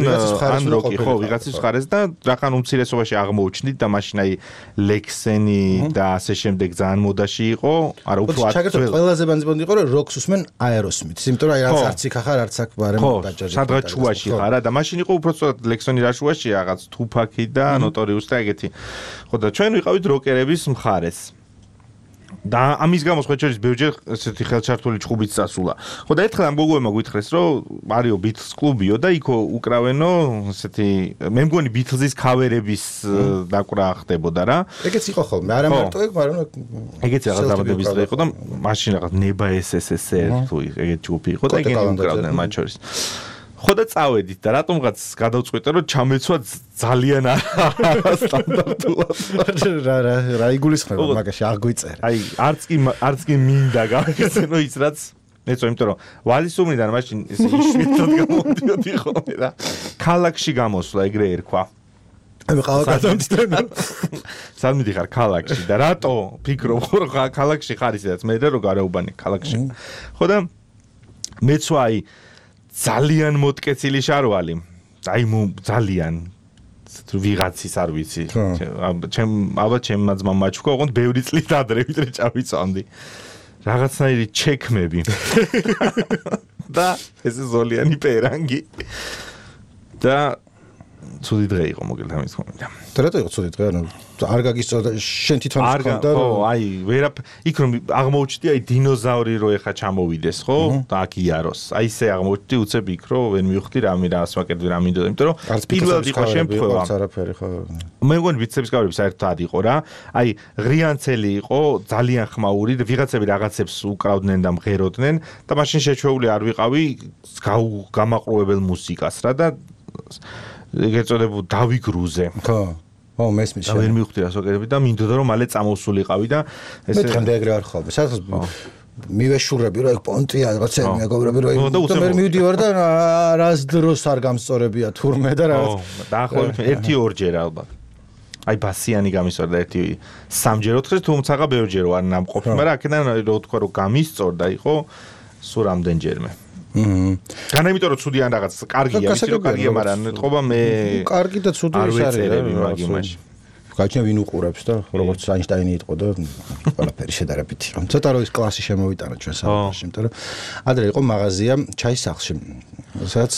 ან როკი, ხო, ვიღაცის მხარეს და რახან უმცირესობაში აღმოუჩნდით და მაშინ აი ლექსენი და ასე შემდეგ ძალიან მოდაში იყო. არა, უფრო აქტუალური. ყველაზე ბანძბონდი იყო, რომ როკს უსმენ აეროსმითს, იმიტომ რომ აი რაც არც იქ ახარ, არც აქ ბარემ დაჯაჟე. სადღაც ჩუაში ხარ და მაშინ იყო უფრო ცოტა ლექსონი შუაში რაღაც თუფაკი და ნოტორიუს და ეგეთი. ხო და ჩვენ ვიყავით როკერების მხარეს. და ამის გამო ხოჭერის ბევრჯერ ესეთი ხელჩართული ჭუბიც წასულა. ხო და ერთხელ ამ გოგოებმა გვითხრეს, რომ არისო ბიტლს კლუბიო და იქ უკრავენო ესეთი მე მგონი ბიტლზის ქავერების დაკვრა ხდებოდა რა. ეგეც იყო ხოლმე, არა მარტო ეგ, მაგრამ ეგეც რაღაც დაბადების დღე იყო და მაშინ რაღაც ნება ეს ეს ეს თუ ეგეთ ჯგუფი იყო და ეგენი უკრავდნენ მათ შორის. ხო და წავედით და რატომღაც გადავწყვიტე რომ ჩამეცვა ძალიან სტანდარტულად რა რა რა იგულისხმება მაგაში აღვიწერე აი არც კი არც კი მინდა გავიხსენო ის რაც მეცო იმიტომ რომ ვალისუმრიდან მაშინ ეს იშვიათად გამოდიოდი ხოლმე და ქალაქში გამოსვლა ეგრე ერქვა აი ყავა გადამწდენა სად მიდიხარ ქალაქში და რატო ფიქრობ რომ ქალაქში ხარ ისედაც მე და რო გარეუბანი ქალაქში ხო და მეცვა აი ძალიან მოტკეცილი შარვალი. აი მო ძალიან ვიღაცის არ ვიცი. ჩემ ალბათ ჩემმა ძმამ მაჩვქო, ოღონდ ბევრი წლით ადრე ვიდრე წავიწამდი. რაღაცნაირი ჩექმები. და ეს ზოლიანი პერანგი. და ცუდი დღე იყო მოკლედ ამის ხომ. და რატო იყო ცუდი დღე? ანუ არ გაგისწორდა შენ თვითონ ხონდა რომ ხო, აი ვერაფ იქ რომ აღმოუჩდი აი დინოზავრი რო ეხა ჩამოვიდეს, ხო? და აქ იაროს. აი ესე აღმოჩდი უცებ იქ რო ვერ მივხვდი რა მე რას ვაკეთდი რა მინდოდა, იმიტომ რომ პირველად იყო შემთხვევა. არაფერი ხო. მე მგონი ბიცეპის კავერები საერთოდ იყო რა. აი ღრიანცელი იყო, ძალიან ხმაური და ვიღაცები რაღაცებს უკრავდნენ და მღეროდნენ და მაშინ შეჩვეული არ ვიყავი გამაყრუებელ მუსიკას რა და ეგ ეწოდებოდა დავიგრუზე. ხო. ო მესმის შენ. და ვერ მივხვდი რას ვაკეთებდი და მინდოდა რომ მალე წამოსულიყავი და ესე მე დღემდე ეგრე არ ხოლმე. სადღაც მივეშურები რომ ეგ პონტია რაღაცა მეგობრები რომ და მე მივდივარ და რას დროს არ გამსწორებია თურმე და რაღაც. ო დაახლოებით ერთი ორჯერ ალბათ. აი ბასიანი გამისწორდა ერთი სამჯერ ოთხჯერ თუმცა ბევრჯერ არ ნამყოფი, მაგრამ აქედან რო თქვა რომ გამისწორდა იყო სულ რამდენჯერმე. აჰა. განა იმიტომ რომ ცუდიან რაღაც კარგია, ვიცი რომ კარგია, მაგრამ ნეტყობა მე კარგი და ცუდი ის არის რა მაგიმაში. გაჩნია ვინ უყურებს და როგორც აინშტაინი იყო და ყველაფერი შედარებითი. ცოტა რო ის კლასი შემოვიტანა ჩვენ საფრთხეში, იმიტომ რომ ადრე იყო მაღაზია ჩაის სახლში. სადაც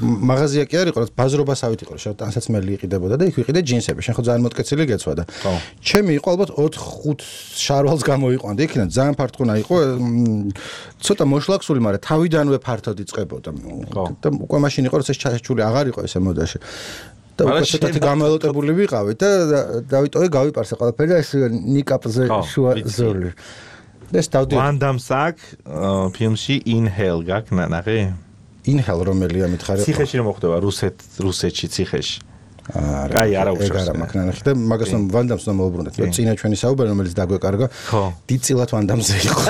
მაღაზია კი არ იყო, რაც ბაზრობასავით იყო, შევ ტანსაცმელი იყიდებოდა და იქ ვიყიდე ჯინსები. შენ ხო ძალიან მოტკეცილი გეცვა და ჩემი იყო ალბათ ოთხ ხუთ შარვალს გამოიყვანდი. იქიდან ძალიან ფარტყუნა იყო, ცოტა მოშლაქსული, მაგრამ თავიდანვე ფართოდ იწყებოდა. და უკვე მაშინ იყო, როცა ჩაჩული აღარ იყო ესე მოდაში. და უკვე ცოტათი გამელოტებული ვიყავით და დავიტოვე გავიპარსე ყველაფერი და ეს ნიკაპზე შუა ზოლი. ეს დავდი ვანდამს აქ ფილმში Inhale გაქნა ნახე? Inhale რომელია მითხარი? ციხეში რომ მოხდება რუსეთ რუსეთში ციხეში. არა. აი არა უშავს. ეგ არა მაგნანახი და მაგას რომ ვანდამს რომ მოუბრუნდეთ. მე წინა ჩვენი საუბარი რომელიც დაგვეკარგა. დიდწილად ვანდამზე იყო.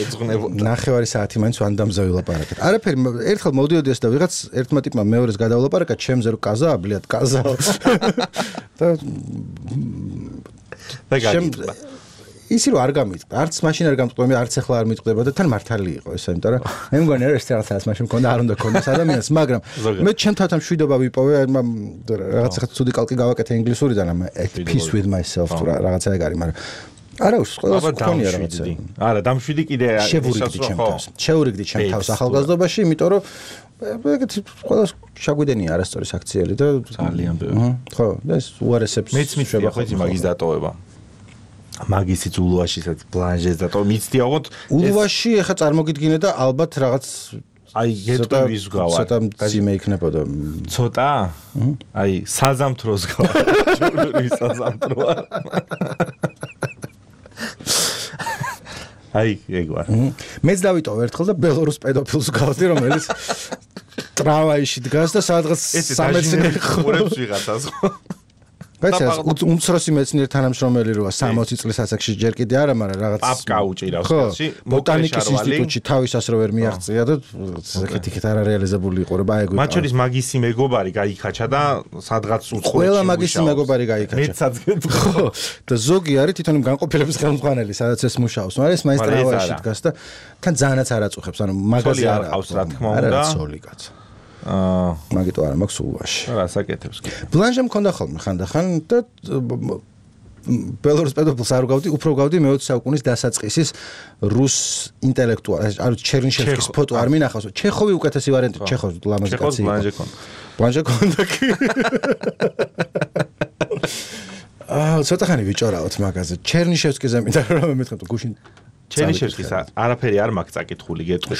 ეძღვნებოდა. ნახევარი საათი მაინც ვანდამზე ვილაპარაკეთ. არაფერი ერთხელ მოვდიოდი ეს და ვიღაც ერთმა ტიპმა მეორეს გადავლაპარაკა ჩემზე რომ კაზა ბლიად კაზა. და და გაგიწვა. ისი რომ არ გამიწდა, არც მაშინ არ გამწყვე, არც ახლა არ მიწდება და თან მართალი იყო ესა, იმიტომ რომ მე მგონი რა ეს რაღაცას მაშინ მქონდა, არ უნდა ქონდეს ადამიანს, მაგრამ მე ჩემ თათან მშვიდობა ვიპოვე, რაღაც ახლა ცუდი კალკი გავაკეთე ინგლისურიდან, ამ at peace with myself თუ რაღაცა ეგ არის, მაგრამ არა უშ ყველას ქონია რაღაცა. არა, დამშვიდი კიდე შევურიგდი ჩემ თავს. შევურიგდი ჩემ თავს ახალგაზრდობაში, იმიტომ რომ ეგეთი ყველას შაგვიდენია არასწორი საქციელი და ძალიან ბევრი. ხო, და ეს უარესებს მეც მიწია ხო იცი მაგის დატოვება. მაგისიც ულუაშისაც ბლანჟეს და თო მიცდია ოღონდ ულუაში ეხა წარმოგიდგინე და ალბათ რაღაც აი გეტყვის გავარ ცოტა ძიმე იქნებოდა ცოტა აი საზამთროს გავარ ჯურნალის საზამთროა აი ეგ ვარ მეც დავიტოვე ერთხელ და ბელორუს პედოფილს გავდი რომელიც ტრამვაიში დგას და სადღაც სამეცნიერო ხურებს ვიღაცას ხო ბაცას უმცროსი მეცნიერ თანამშრომელი როა სამოცი წლის ასაკში ჯერ კიდე არა, მაგრამ რაღაც პაპკა უჭირავს ხელში, ბოტანიკის ინსტიტუტში თავისას რო ვერ მიაღწია და ეგეთი არ რეალიზებული იყო, რა ეგ. მათ შორის მაგისი მეგობარი გაიქაჩა და სადღაც უცხოეთში. ყველა მაგისი მეგობარი გაიქაჩა. მეცაც გეტყო. და ზოგი არის თვითონ განყოფილების ხელმძღვანელი, სადაც ეს მუშაობს, მაგრამ ეს მაესტრალაში დგას და თან ძალიანაც არ აწუხებს, ანუ მაგაზი არ აქვს რა თქმა უნდა. არა სოლი კაცო. აა მაგიტო არა მაქვს ულუაში. რა საკეთებს კი. ბლანჟე მქონდა ხოლმე ხანდახან და ბელორუს პედოფილს არ გავდი, უფრო გავდი მეოცე საუკუნის დასაწყისის რუს ინტელექტუალს, ანუ ჩერნიშევსკის ფოტო არ მინახავს. ჩეხოვი უკეთესი ვარიანტი, ჩეხოვი ლამაზი კაცი იყო. ბლანჟე ქონდა. ბლანჟე ქონდა კი. აა ცოტა ხანი ვიჭორავთ მაგაზე. ჩერნიშევსკიზე მინდა რომ მეთქვა გუშინ ჩერნიშევსკის არაფერი არ მაქვს წაკითხული გეტყვი.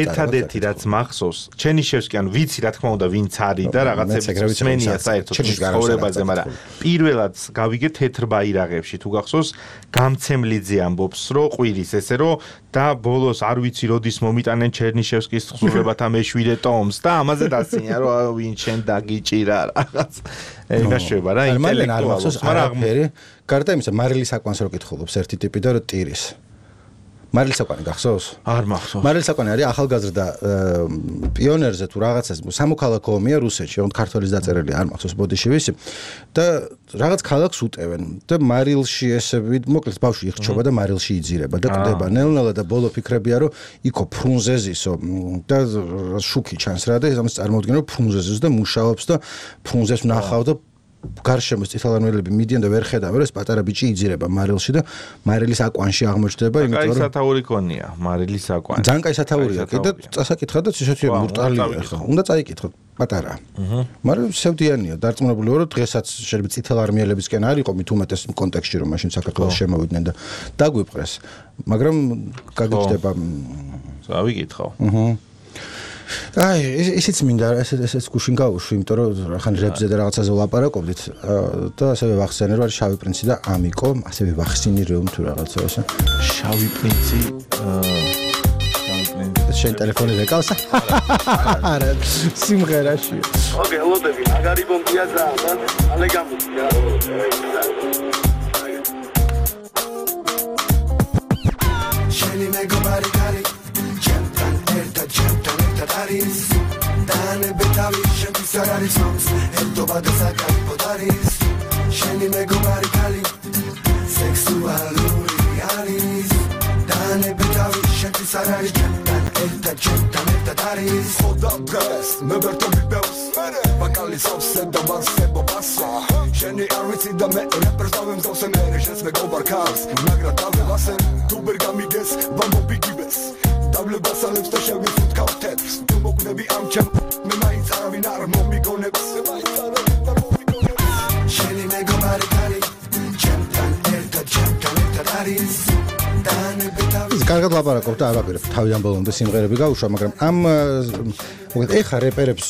ერთადერთი რაც მახსოვს, ჩერნიშევსკი ანუ ვიცი რა თქმა უნდა ვინც არის და რაღაცებს მსმენია საერთოდ ცხოვრებაზე, მაგრამ პირველად გავიგე თეთრ ბაირაღებში თუ გახსოვს, გამცემლიძე ამბობს, რომ ყვირის ესე რომ და ბოლოს არ ვიცი როდის მომიტანენ ჩერნიშევსკის თხზულებათა მეშვიდე ტომს და ამაზე დასწინია რომ ვინ შენ დაგიჭირა რაღაც. ეგაშება რა ინტელექტუალს, მაგრამ გარდა იმისა მარილი საკვანს რო კითხულობს ერთი ტიპი და რო ტირის. მარილი საკვანი გახსოვს? არ მახსოვს. მარილი საკვანი არის ახალგაზრდა პიონერზე თუ რაღაცას სამოქალაქო ომია რუსეთში, ოღონდ ქართველის დაწერილი არ მახსოვს ბოდიში ვისი და რაღაც ქალაქს უტევენ და მარილში ესე მოკლედ ბავშვი იხჩობა და მარილში იძირება და ყდება ნელ-ნელა და ბოლო ფიქრებია რომ იქო ფრუნზეზისო და შუქი ჩანს რა და ამას წარმოვიდგინე რომ ფრუნზეზის და მუშაობს და ფრუნზეს ვნახავ და გარშემოს წითელარმიელები მიდიან და ვერ ხედავენ, ეს პატარა ბიჭი იძირება მარილში და მარილის აკვანში აღმოჩნდება, იმიტომ რომ კაი სათაური კონია, მარილის აკვანი. ძალიან კაი სათაურია, კიდე წასაკითხა და ისეთი ბრუტალია ხა. უნდა წაიკითხო, პატარა. აჰა. მაგრამ სევდიანია, დარწმუნებული ვარ, რომ დღესაც შეიძლება წითელარმიელებისკენ არ იყო მით უმეტეს კონტექსტში, რომ მაშინ საქართველოს შემოვიდნენ და დაგვიპყრეს. მაგრამ გაგიჩნდება წავიკითხო. აჰა. აი, ისიც მინდა ესეც ესეც გუშინ გავუშვი, იმიტომ რომ ხან რეპზე და რაღაცაზე ვლაპარაკობდით და ასევე ვახსენე რომ არის შავი პრინცი და ამიკო, ასევე ვახსინი რომ თუ რაღაცა ესე. შავი პრინცი, შავი პრინცი. შენ ტელეფონი რეკავს? არა, სიმღერაში. ოკეი, ლოდები, მაგარი ბომბია და ალე გამოდი. შენი მეგობარი კარი Taris, dane betavi, shenti sarari songs, eltoba da sakari podaris, sheni megobari kali, sexualuri alis, dane betavi, shenti sarari chantan, elta chantan, elta taris, oda bres, meberto bibeus, bakali sovse da basebo basa, sheni arvitsi da me reprezavim zovse nere, shens megobar kars, nagradavi vasen, tu bergamides, bambo bigibes. დაბლებასალებს და შევიფუთ კავთებს თუ მოგნები ამ ჩემ მე მაინც არავინ არ მომიგონებს მე მაინც არავინ არ მომიგონებს შენი მეგობარი კარი ჩემთან ერთად ჩემთან ერთად არის კარგად ლაპარაკობ და არ ვაპირებ თავიდან ბოლომდე სიმღერები გაუშვა, მაგრამ ამ მოგეთ ეხა რეპერებს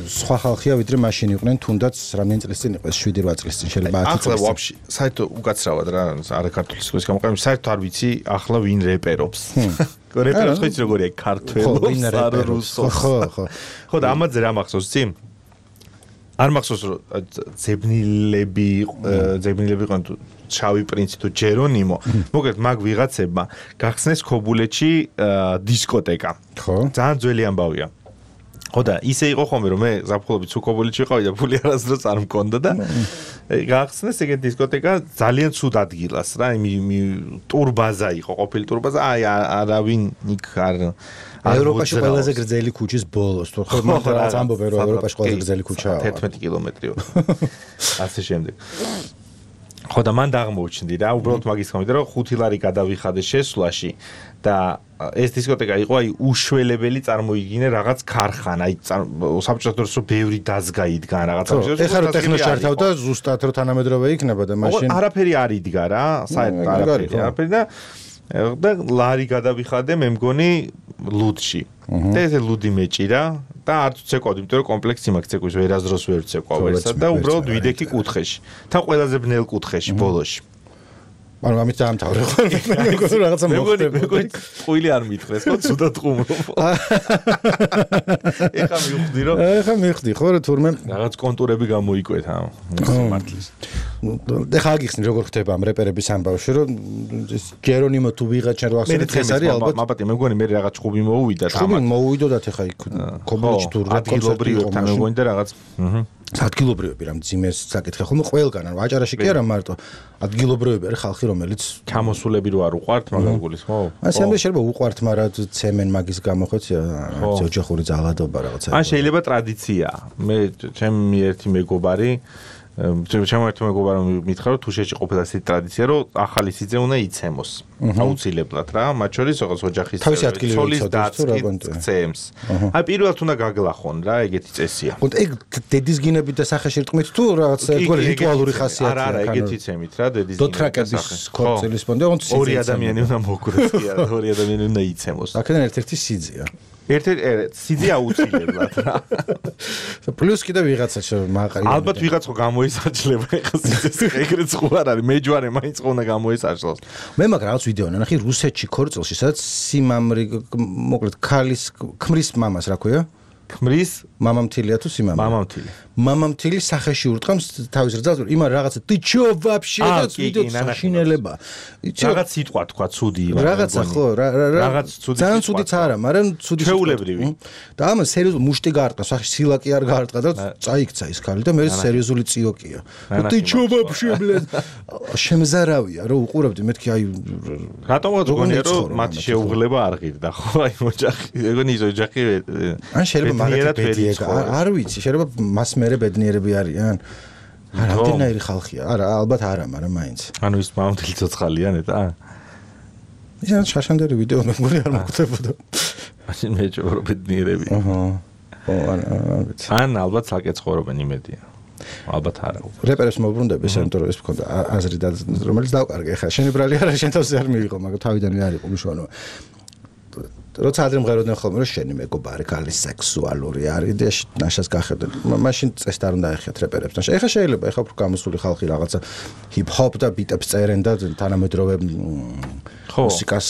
სხვა ხალხია ვიდრე მაშინ იყვნენ, თუნდაც რამდენი წლის წინ იყო, შვიდი რვა წლის წინ შეიძლება ათი წლის. ახლა ვაფშე საერთოდ უკაცრავად რა, არა ქართული სიტყვის გამოყენება, საერთოდ არ ვიცი ახლა ვინ რეპერობს. რეპერობს ხო იცი როგორია ქართველობს, არ რუსობს. ხო, ხო. ხო და ამაზე რა მახსოვს ცი? არ მახსოვს რომ ძებნილები ძებნილები იყვნენ თუ შავი პრინცი თუ ჯერონიმო მოგეთ მაგ ვიღაცებმა გახსნეს ქობულეთში დისკოტეკა ხო ძალიან ძველი ამბავია ხო და ისე იყო ხოლმე რომ მე ზაფხულობით სულ ქობულეთში ვიყავი და ფული არასდროს არ მქონდა და გახსნეს ეგეთი დისკოტეკა ძალიან ცუდ ადგილას რა იმი ტურბაზა იყო ყოფილი ტურბაზა აი არავინ იქ არ ევროპაში ყველაზე გრძელი ქუჩის ბოლოს თუ ხო მაგ რაც ამბობენ რომ ევროპაში ყველაზე გრძელი ქუჩაა თერთმეტი კილომეტრი ასე შემდეგ ხო და მან დაღმოუჩნდი რა უბრალოდ მაგის გამო რომ ხუთი ლარი გადავიხადე შესვლაში და ეს დისკოტეკა იყო აი უშველებელი წარმოიგინე რაღაც ქარხანა აი საბჭოთა დროს ბევრი დაზგა იდგა რაღაცა ეხლა რო ტექნოს ჩართავ და ზუსტად რო თანამედროვე იქნება და მაშინ არაფერი არ იდგა რა საერთოდ არაფერი არაფერი და და ლარი გადავიხადე მე მგონი ლუდში და ეს ლუდი მეჭირა და არ ვცეკვავდი, იმიტომ რომ კომპლექსი მაქვს ცეკვის ვერასდროს ვერ ვცეკვავ ერთსა და უბრალოდ ვიდექი კუთხეში. თან ყველაზე ბნელ კუთხეში ბოლოში. მაგრამ ამით დაამთავრე ხო? რაღაცა მოხდება. მე მგონი ყույლი არ მითხრეს, ხო, ცუდად ყუმრობ. ეხა მივხვდი რომ ეხა მივხვდი ხო რა თურმე რაღაც კონტურები გამოიკვეთა მართლის. ეხა აგიხსნი როგორ ხდება ამ რეპერების ამბავში რომ ჯერონიმო თუ ვიღაცა რო ახსენე დღეს არის ალბათ მაბატი მე მგონი მე რაღაც ჭუბი მოუვიდა და ჭუბი მოუვიდოდათ ეხა იქ ქობულეთში თუ ადგილობრივებთან მე მგონი და რაღაც აჰა ადგილობრივები რა ძიმეს საკითხი ხოლმე ყველგან ანუ აჭარაში კი არა მარტო ადგილობრივები არის ხალხი რომელიც ჩამოსულები რო არ უყვართ მაგას გულის ხო ასე ამბე შეიძლება უყვართ მაგრამ ცემენ მაგის გამო ხოც ოჯახური ძალადობა რაღაცა ან შეიძლება ტრადიცია მე ჩემი ერთი მეგობარი ჩემო ერთ მეგობარმა მითხრა რომ თუ შეჭყოფილ ასეთი ტრადიცია რომ ახალი სიძე უნდა იცემოს აუცილებლად რა მათ შორის რაღაც ოჯახის ცოლის დაცემს აი პირველად უნდა გაგლახონ რა ეგეთი წესია ხო ეგ დედის გინებით და სახეში რტყმით თუ რაღაც ერთგვარი რიტუალური ხასიათია არა არა ეგეთი ცემით რა დედის გინებით დოთრაკების ქორწილის პონდე ოღონდ ორი ადამიანი უნდა მოგვრეს კი არა ორი ადამიანი უნდა იცემოს აქედან ერთ-ერთი სიძეა ერთ-ერთი სიძე აუცილებლად რა პლუს კიდე ვიღაცა მაყარი ალბათ ვიღაცა გამოისაჭლება ეხა სიძეს ეგრეც ხო არ არის მეჯვარე მაინც ხო უნდა გამოისაჭლოს მე მაგ რაღაც ვიდეო ნახე რუსეთში ქორწილში სადაც სიმამრი მოკლედ ქალის ქმრის მამას რა ქვია ქმრის მამამთილია თუ სიმამრი მამამთილი მამამთილი სახეში ურტყამს თავის რძალს იმან რაღაცა ты чё вообще და ვიდეო საშინელება რაღაც სიტყვა თქვა ცუდი რაღაცა ხო რაღაც ცუდი ძალიან ცუდიც არა მაგრამ ცუდი შეულებრივი და ამას სერიოზული მუშტი გაარტყა სახეში სილაკი არ გაარტყა და წაიქცა ის ქალი და მე სერიოზული ციოკია ты чё вообще блядь შემზარავია რომ უყურებდი მეთქი აი რატომაც გონია რომ მათი შეუღლება არ ღირდა ხო აი ოჯახი ეგონი ის ოჯახი ან შეიძლება მაგათი ბედიეგა არ ვიცი შეიძლება მას მერე ბედნიერები არიან რამდენიერი ხალხია არა ალბათ არა მაგრამ მაინც ანუ ის მამთილი ცოცხალია ნეტა ისე შაშანდერი ვიდეო მე მგონი არ მოხდებოდა მაშინ მე ჯობრო ბედნიერები აჰა ო არ ვიცი ან ალბათ საკეთ ცხოვრობენ იმედია ალბათ არა რეპერებს მოbrunდები სენტრო ეს მქონდა აზრი და რომელიც დავკარგე ხა შენი ბრალი არა შენ თავზე არ მიიღო მაგრამ თავიდანვე არ იყო უშუალო როცა ადრე მღეროდნენ ხოლმე რომ შენი მეგობარი ქალი სექსუალური არის და ნაშას გახედენ მაშინ წესთ არ უნდა ეხიათ რეპერებთან ეხა შეიძლება ეხა უფრო გამოსული ხალხი რაღაცა ჰიპ-ჰოპ და ბიტებს წერენ და თანამედროვე მუსიკას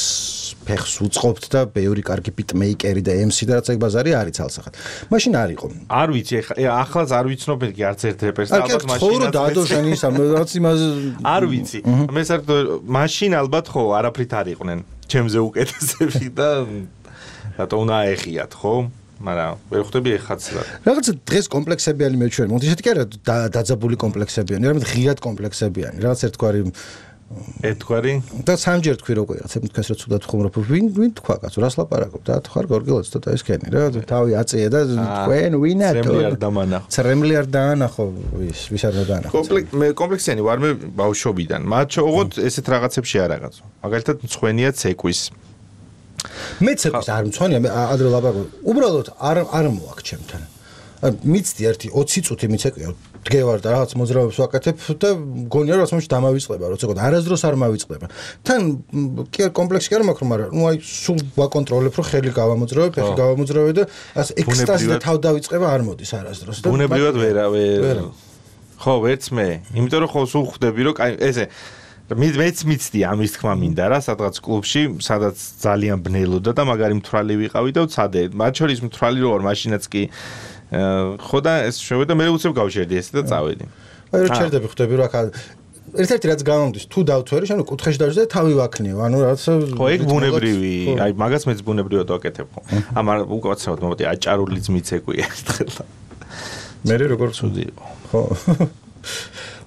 ფეხს უწყობთ და ბევრი კარგი ბიტმეიკერი და ემსი და რაც ეგ ბაზარი არის ცალსახად მაშინ არ იყო არ ვიცი ეხა ახლაც არ ვიცნობ კი არც ერთ რეპერს და ალბათ მაშინ ხო დადო შენ ისა რაც იმას არ ვიცი მე საერთოდ მაშინ ალბათ ხო არაფრით არ იყვნენ ჩემზე უკეთესები და რატო უნდა აეხიათ ხო მაგრამ ვერ ხვდები ეხაც რა რაღაც დღეს კომპლექსებიანი მეჩვენი მოდი ისეთი კი არა დაძაბული კომპლექსებიანი რამე ღიად კომპლექსებიანი რაღაც ერთგვარი ერთგვარი და სამჯერ თქვი როგორ რაღაცა თქვენს რა ცუდად ხუმრობ ვინ ვინ თქვა კაცო რას ლაპარაკობ და თქვა გორგილოც ცოტა ესქენი რა თავი აწია და თქვენ ვინათო ცრემლი არ დამანახო ცრემლი არ დაანახო ვის ვის არ დაანახო კომპლექს მე კომპლექსიანი ვარ მე ბავშვობიდან მათ ოღონდ ესეთ რაღაცებში არ რაღაცო მაგალითად მწვენია ცეკვის მეც ეკვის არ მწვანია, მე ადრე ლაპარაკობ. უბრალოდ არ არ მოაქვს ჩემთან. მიცდი ერთი ოცი წუთი მიცეკვია, დგევარ და რაღაც მოძრაობებს ვაკეთებ და მგონია რომ ასმოში დამავიწყდება, როცა გქონდა არასდროს არ მავიწყდება. თან კი კომპლექსი კი არ მაქვს, მაგრამ ნუ აი სულ ვაკონტროლებ, რომ ხელი გავამოძრავებ, ფეხი გავამოძრავებ და ასე ექსტაზი და თავ დავიწყება არ მოდის არასდროს. და ბუნებრივად ვერა ვერ ხო, ვერც მე, იმიტომ რომ ხო სულ ხვდები რომ კაი ესე მეც მიცდი ამის თქმა მინდა რა, სადღაც კლუბში, სადაც ძალიან ბნელოდა და მაგარი მთვრალი ვიყავი და ვცადე. მათ შორის მთვრალი რო არ მაშინაც კი ხო და ეს შევედა მე უცებ გავშერდი ესე და წავედი. აი რო ჩერდები ხვდები რომ აქ ერთ-ერთი რაც გამომდის, თუ დავთვერი, შენ კუთხეში დავჭრე და თავი ვაქნიო. ანუ რაც ხო, ეგ ბუნებრივი, აი მაგას მეც ბუნებრივად ვაკეთებ ხო. ამარ უკაცრავად მომდი აჭარულიც მიცეკვია ერთხელ. მე როგორ ცუდი იყო. ხო.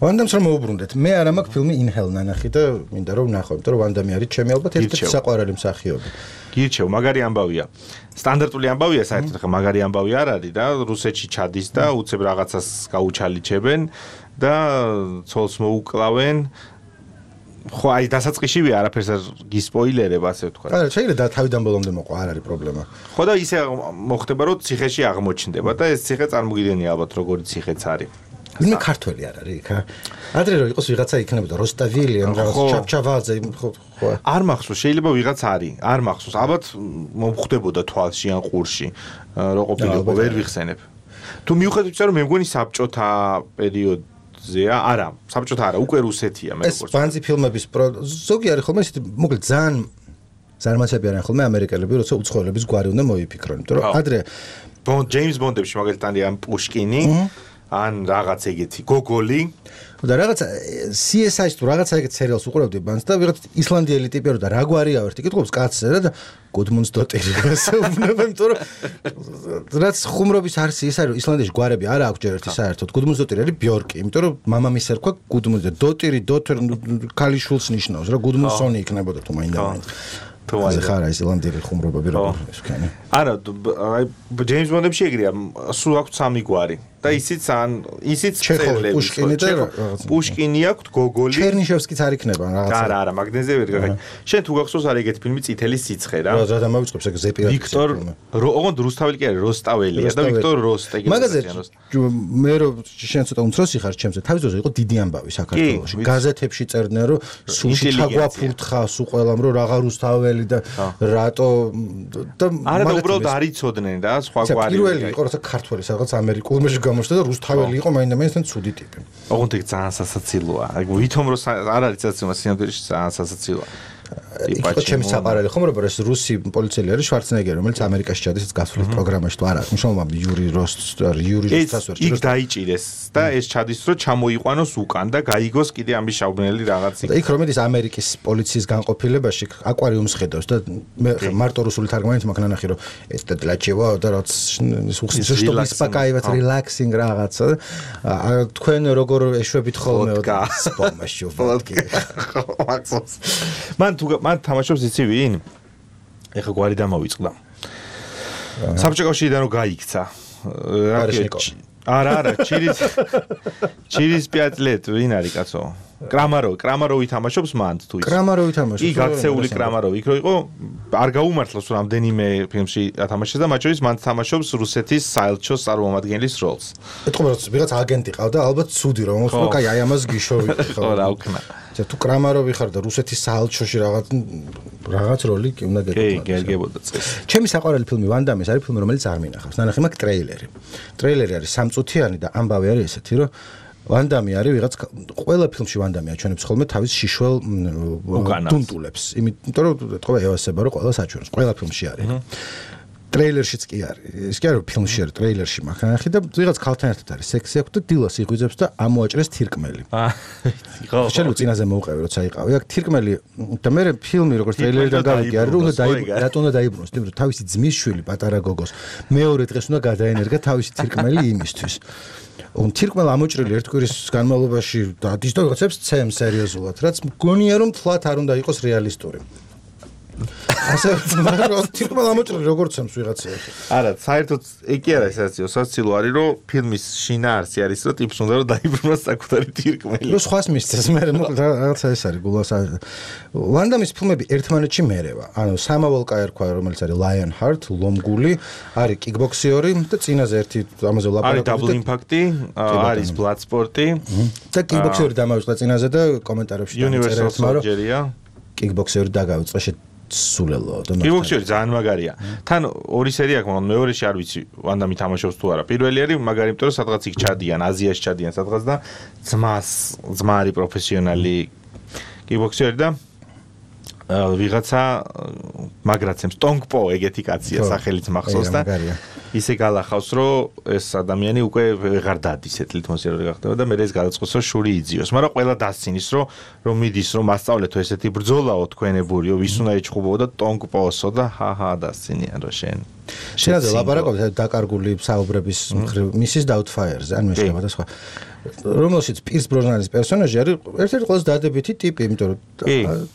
ვანდამს რომ მოუბრუნდეთ. მე არ მაქვს ფილმი ინჰელ ნანახი და მინდა რომ ვნახო, იმიტომ რომ ვანდამი არის ჩემი ალბათ ერთ-ერთი საყვარელი მსახიობი. გირჩევ, მაგარი ამბავია. სტანდარტული ამბავია საერთოდ ხა მაგარი ამბავი არ არის და რუსეთში ჩადის და უცებ რაღაცას გაუჩალიჩებენ და ცოლს მოუკლავენ. ხო, აი დასაწყისშივე არაფერს არ გისპოილერებ, ასე ვთქვა. არა, შეიძლება და თავიდან ბოლომდე მოყვა, არ არის პრობლემა. ხო და ისე მოხდება რომ ციხეში აღმოჩნდება და ეს ციხე წარმოგიდგენია ალბათ როგორი ციხეც არის. მე ქართველი არ არის იქ. ადრე რომ იყოს ვიღაცა იქნებოდა როსტავილი ან რაღაც ჩაფჩავაძე ხო ხო. არ მახსოვს, შეიძლება ვიღაც არის, არ მახსოვს. ალბათ მომხდებოდა თვალში ან ყურში, რო ყოფილიყო, ვერ ვიხსენებ. თუ მიუხედავად იმისა, რომ მე მგონი საბჭოთა პერიოდზეა, არა, საბჭოთა არა, უკვე რუსეთია მე როგორც. ეს ბანძი ფილმების ზოგი არის ხოლმე ისეთი, მოკლედ ძალიან ზარმაცები არიან ხოლმე ამერიკელები, როცა უცხოელების გვარი უნდა მოიფიქრონ, იმიტომ რომ ადრე ბონდ ჯეიმს ბონდებში მაგალითად ან პუშკინი ან რაღაც ეგეთი გოგოლი და რაღაც სი ეს აი-ს თუ რაღაცა ეგეთ სერიალს უყურავდი ბანს და ვიღაც ისლანდიელი ტიპი რო და რა გვარია ვერთი კითხობს კაცზე და გუდმუნდს დოტერი გასაუბრებენ იმიტომ რომ რაც ხუმრობის არსი ის არის ისლანდიაში გვარები არა აქვს ჯერ ერთი საერთოდ გუდმუნდს დოტერი არის ბიორკი იმიტომ რომ მამამის ერქვა გუდმუნდს და დოტერი დოტერ ქალიშვილს ნიშნავს რა გუდმუნდსონი იქნებოდა თუ მაინდა თუ აი ხარა ისლანდიელი ხუმრობები როგორ ეს ვქენი არა აი ჯეიმს ბონდებში ეგრეა სულ აქვს სამი გვარი და ისიც ან ისიც წერლები პუშკინი და პუშკინი აქვს გოგოლი ჩერნიშევსკიც არ იქნება რაღაცა არა არა მაგნეზე ვერ გაგა შენ თუ გახსოვს არის ეგეთი ფილმი წითელი სიცხე რა რა დამავიწყებს ეგ ზეპირატი ვიქტორ ოღონდ რუსთაველი კი არის როსტაველია და ვიქტორ როსტეგი მაგაზე მე რო შენ ცოტა უმცროსი ხარ ჩემზე თავის დროზე იყო დიდი ამბავი საქართველოში გაზეთებში წერდნენ რომ სულში თაგვაფურთხა სულ ყველამ რომ რაღა რუსთაველი და რატო და არა და უბრალოდ არ იცოდნენ და სხვა გვარი პირველი იყო როცა ქართველი რაღაც ამერიკულში გამოჩნდა და რუსთაველი იყო მაინდა-მაინც ცუდი ტიპი. ოღონდ ეგ ძალიან სასაცილოა. ვითომ რომ არ არის სასაცილო, სინამდვილეში ძალიან სასაცილოა. იყო ჩემი საყვარელი ხომ რომ ეს რუსი პოლიციელი არის შვარცენეგერი რომელიც ამერიკაში ჩადის ეს გასვლის პროგრამაში თუ არა მნიშვნელოვანი იური როსტ იური როსტას ვერ იქ დაიჭირეს და ეს ჩადის რომ ჩამოიყვანოს უკან და გაიგოს კიდე ამის შაუბნელი რაღაც და იქ რომ ის ამერიკის პოლიციის განყოფილებაში აკვარიუმს ხედავს და მე მარტო რუსული თარგმანით მაქვს ნანახი რომ ეს და დლაჩევა და რაც უხსნის что успокаивать relaxing რაღაცა თქვენ როგორ ეშვებით ხოლმე და სპომაში ვოდკა მაქსოს მან თუ მან თამაშობს იცი ვინ? ეხა გვარი დამოვიწყდა. საბჭოთა კავშირიდან რომ გაიქცა. არა, არა, ჩირის ჩირის პიატლეტ ვინ არის კაცო? კრამაროვი, კრამაროვი თამაშობს მან თუ ის. კრამაროვი თამაშობს. იქ გაქცეული კრამაროვი, იქ რო იყო, არ გაუმართლოს რამდენიმე ფილმში ათამაშეს და მათ შორის მან თამაშობს რუსეთის საელჩოს წარმომადგენლის როლს. ეთქო რომ ვიღაც აგენტი ყავდა, ალბათ ცუდი რომ მოხდა, კაი, აი ამას გიშოვი ხო რა უკნა. ცა თუ კრამაროვი ხარ და რუსეთის საელჩოში რაღაც რაღაც როლი კი უნდა გეკეთო. კი, გერგებოდა წეს. ჩემი საყვარელი ფილმი ვანდამის არის ფილმი რომელიც არ მინახავს. ნანახი მაქვს ტრეილერი. ტრეილერი არის სამწუთიანი და ამბავი არის ესეთი რომ ვანდამი არის ვიღაც ყველა ფილმში ვანდამი აჩვენებს ხოლმე თავის შიშველ დუნტულებს. იმიტომ რომ ეთქო ევასება რომ ყველა საჩვენოს. ყველა ფილმში არის. ტრეილერშიც კი არის. ის კი არის ფილმში არის, ტრეილერში მაქვს ნახე და ვიღაც ქალთან ერთად არის სექსი აქვს და დილას იღვიძებს და ამოაჭრეს თირკმელი. აა ხო. შეიძლება წინაზე მოუყევი როცა იყავი. აქ თირკმელი და მე ფილმი როგორც ტრეილერიდან გავიგე არის რომ უნდა დაიბრუნოს. რატო უნდა დაიბრუნოს? იმიტომ რომ თავისი ძმის შვილი პატარა გოგოს მეორე დღეს უნდა გადაენერგა თავისი თირკმელი იმისთვის. он თირკმელი ამოჭრილი ერთ კვირის განმავლობაში დადის და ვიღაცებს ცემს სერიოზულად, რაც მგონია რომ თლათ არ უნდა იყოს რეალისტური. ასე თითქოს ამოჭრილი როგორც ამს ვიღაცაა. არა, საერთოდ ეგ კი არა ესაცი, სასაცილო არის რომ ფილმის შინაარსი არის რომ ტიპს უნდა რომ დაიბრუნოს საკუთარი თირკმელი. რო სხვას მისცეს, მე მოკლედ რაღაცა ეს არის გულას. ვანდამის ფილმები ერთმანეთში მერევა. ანუ სამავალკა ერქვა, რომელიც არის Lionheart, ლომგული, არის კიკბოქსიორი და წინაზე ერთი ამაზე ლაპარაკობთ. არის Double Impact-ი, არის Bloodsport-ი და კიკბოქსიორი დამავიწყდა წინაზე და კომენტარებში Universal Soldier-ია. კიკბოქსიორი დაგავიწყდა შე სულელო და კიკბოქსერი ძალიან მაგარია. თან ორი სერია აქვს, მაგრამ მეორეში არ ვიცი ვანდამი თამაშობს თუ არა. პირველი არის მაგარი, იმიტომ რომ სადღაც იქ ჩადიან, აზიაში ჩადიან სადღაც და ძმას, ძმა არის პროფესიონალი კიკბოქსერი და ვიღაცა მაგრაცემს ტონგპო ეგეთი კაცია სახელით მახსოვს და ისე გალახავს რომ ეს ადამიანი უკვე ვეღარ დადის ეთლით მოსიარულე გახდება და მე ეს გადაწყვეტს რომ შური იძიოს, მაგრამ ყველა დასცინის რომ რომ მიდის რომ მასწავლეთო ესეთი ბრძოლაო თქვენებურიო ვის უნდა ეჩხუბო და ტონგპოსო და ჰაჰა დასცინიან რომ შენ შენაზე ლაპარაკობთ დაკარგული საუბრების მისის დაუთფაიერზე ან მეშლება და სხვა რომელშიც პირს ბროსნანის პერსონაჟი არის ერთ-ერთი ყველაზე დადებითი ტიპი, იმიტომ რომ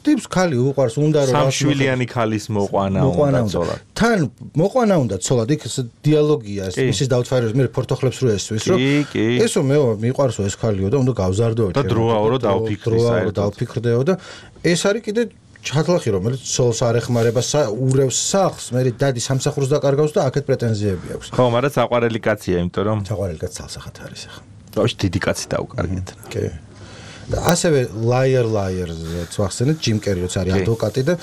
ტიპს ხალი უყვარს უნდა რომ სამშვილიანი ხალის მოყვანა უნდა ცოლად. თან მოყვანა უნდა ცოლად, იქ დიალოგია ეს მისის დაუთფაიერების მე ფორთოხლებს რო ესვის რომ ესო მე მიყვარსო ეს ხალიო და უნდა გავზარდო და დროაო რომ დავფიქრი საერთოდ დავფიქრდეო და ეს არის კიდე ჩათლახი რომელიც ცოლს არ ეხმარება ურევს სახლს, მე დადი სამსახურს დაკარგავს და აქეთ პრეტენზიები აქვს. ხო, მაგრამ საყვარელი კაცია, იმიტომ რომ საყვარელი კაცი ცალსახად არის ახლა. ბავშვი დიდი კაცი დაუკარგეთ. კი. და ასევე Liar Liar-ს ვახსენეთ, ჯიმ კერიოც არის ადვოკატი და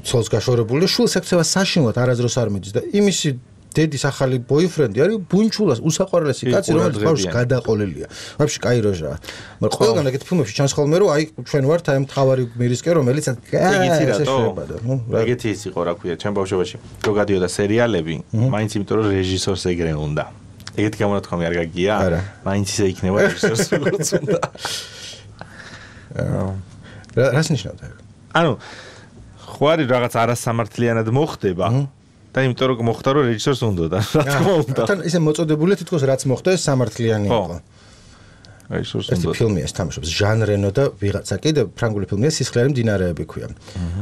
ცოლს გაშორებული და შულს ექცევა საშინლად არაზროს არ მიდის და იმისი დედის ახალი ბოიფრენდი არის ბუნჩულას უსაყვარლესი კაცი, რომელიც ბავშვს გადაყოლილია. ვაფშე კაი როჟაა. მაგრამ ყველგან ეგეთ ფილმებში ჩანს ხოლმე რომ აი ჩვენ ვართ აი მთავარი მერისკე, რომელიც ეგეთი რატო? ეგეთი ის იყო, რა ქვია, ჩვენ ბავშვობაში. რო გადიოდა სერიალები, მაინც იმიტომ რომ რეჟისორს ეგრე უნდა. ეგეთი გამონათქვამი არ გაგია? მაინც ისე იქნება რეჟისორს როგორც უნდა. რას ნიშნავდა ეგ? ანუ ხო არის რაღაც არასამართლიანად მოხდება და იმიტომ რომ მოხდა რომ რეჟისორს უნდა და რა თქმა უნდა. თან ისე მოწოდებული თითქოს რაც მოხდა ეს სამართლიანი იყო. რეჟისორს უნდა. ეს ფილმია თამაშობს ჟან რენო და ვიღაცა კიდე ფრანგული ფილმია სისხლიანი მდინარეები ქვია.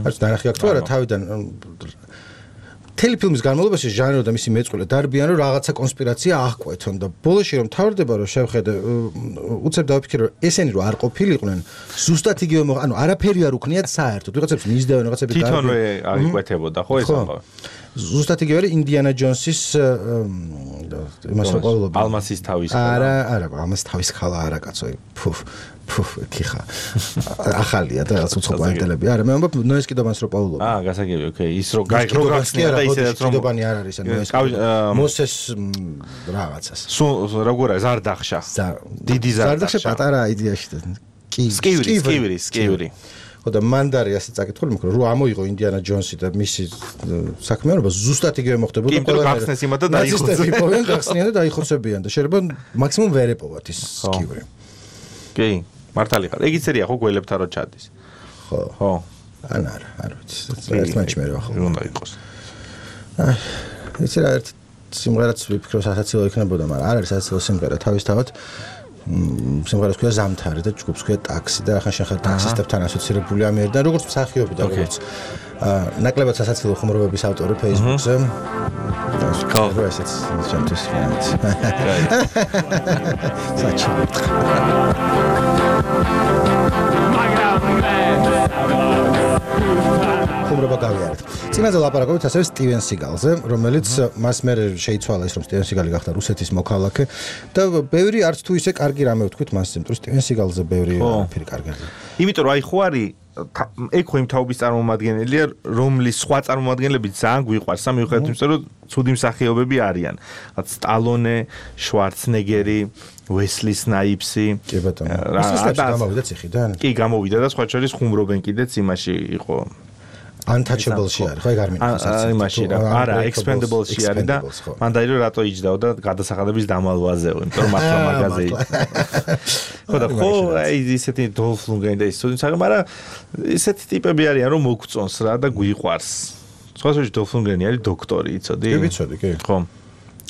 არც ნახე აქ თუ არა თავიდან თელი ფილმის განმავლობაში ჟანრო და მისი მეწყვილე დარბიან რომ რაღაცა კონსპირაცია აღკვეთონ და ბოლოში რომ თავდება რომ შევხედე უცებ დავიფიქრე რომ ესენი რომ არ ყოფილიყვნენ ზუსტად იგივე ანუ არაფერი არ უქნიათ საერთოდ ვიღაცებს მისდევენ ვიღაცები თვითონვე აღიკვეთებოდა ხო ეს ამბავი ზუსტად იგივე არის ინდიანა ჯონსის იმას ყოველობა ალმასის თავის არა არა ალმასის თავის ხალა არა კაცო ფუფ ფუფ კიხა ახალია და რაც უცხო პლანეტელები არა მე ამბობ ნოეს კიდობანს რო პაულობ აა გასაგებია ოკეი ის რო გაიგრო გახსნია და ისედაც რომ კიდობანი არ არის ანუ ეს მოსეს რაღაცას სულ როგორ არის ზარდახშა დიდი ზარდახშა პატარა იდეაში და კი სკივრი სკივრი სკივრი ხო და მანდარი ასე წაკითხული მოკრო რომ ამოიღო ინდიანა ჯონსი და მისი საქმიანობა ზუსტად იგივე მოხდებოდა ყველა გახსნეს იმათ და დაიხოცებიან გახსნიან და დაიხოცებიან და შეიძლება მაქსიმუმ ვერ ეპოვათ ის სკივრი კი მართალი ხარ ეგ იცერია ხო გველებთან რო ჩადის ხო ხო ან არა არ ვიცი ერთ მაჩ მე რა ხო უნდა იყოს აი ეს რა ერთ სიმღერაც ვიფიქრო სასაცილო იქნებოდა მაგრამ არ არის სასაცილო სიმღერა თავისთავად სიმღერას ქვია ზამთარი და ჯგუფს ქვია ტაქსი და ახლა შეხარ ტაქსისტებთან ასოცირებული ამერიდან როგორც მსახიობი და როგორც ნაკლებად სასაცილო ხუმრობების ავტორი Facebook-ზე ხო ესეც ჩემთვის ფანიც საჩივი ხუმრობა გავიარეთ. წინაზე ლაპარაკობთ ასევე სტივენ სიგალზე, რომელიც მას მე შეიცვალა ის რომ სტივენ სიგალი გახდა რუსეთის მოქალაქე და ბევრი არც თუ ისე კარგი რამე ვთქვით მას, იმიტომ რომ სტივენ სიგალზე ბევრი არაფერი კარგი არ. იმიტომ რომ აი ხო არის ეგ ხო იმ თაობის წარმომადგენელია, რომლის სხვა წარმომადგენლები ძალიან გვიყვარს, მიუხედავად იმისა, რომ ცუდი მსახიობები არიან. სტალონე, შვარცნეგერი, ვესლი სნაიპსი. კი ბატონო. ის გამოვიდა ციხიდან? კი, გამოვიდა და სხვა შორის ხუმრობენ კიდეც იმაში იყო. Untouchable-ში არის, ხო ეგ არ მინახავს. აა იმაში რა, არა, Expendable-ში არის და მან დაირო რატო იჯდაო და გადასახადების დამალვაზეო, იმიტომ რომ მართლა მაღაზია. ხო და ხო, აი ისეთი დოლფ ლუნგრენი და ის თუნდაც, მაგრამ ისეთი ტიპები არიან, რომ მოგწონს რა და გვიყვარს. სხვა შორის დოლფ ლუნგრენი არის დოქტორი, იცოდი? კი, ვიცოდი, კი. ხო.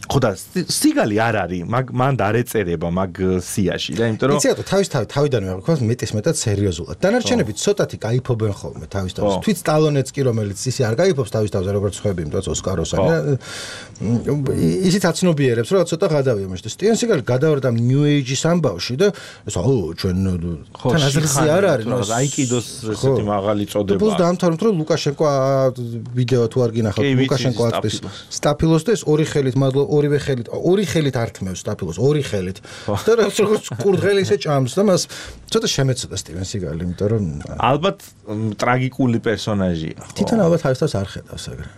ხო და სიგალი არ არის, მაგ მან არ ეწერება მაგ სიაში და იმიტომ რომ იცი რატო თავის თავი თავიდანვე აღიქواس მეტის მეტად სერიოზულად. დანარჩენები ცოტათი кайფობენ ხოლმე თავის თავის. თვით სტალონეც კი რომელიც ისე არ кайფობს თავის თავზე როგორც ხვები, იმიტომ რომ ოსკაროსანი ისიც აცნობიერებს რომ ცოტა გადავია მაშინ. სტივენ სიგალი გადავარდა ნიუ ეიჯის ამბავში და ეს აუ ჩვენ თან აზრზე არ არის, ნუ აიკიდოს ესეთი მაღალი წოდება. პლუს დაამთავრეთ რომ ლუკაშენკო ვიდეო თუ არ გინახავთ ლუკაშენკო აწვის სტაფილოს და ეს ორი ხელით მადლობა ორივე ხელით ორი ხელით ართმევს სტაფილოს ორი ხელით და როგორც კურდღელი ისე ჭამს და მას ცოტა შემეცოდა სტივენ სიგალი იმიტომ რომ ალბათ ტრაგიკული პერსონაჟია თვითონ ალბათ თავის თავს არ ხედავს ეგრე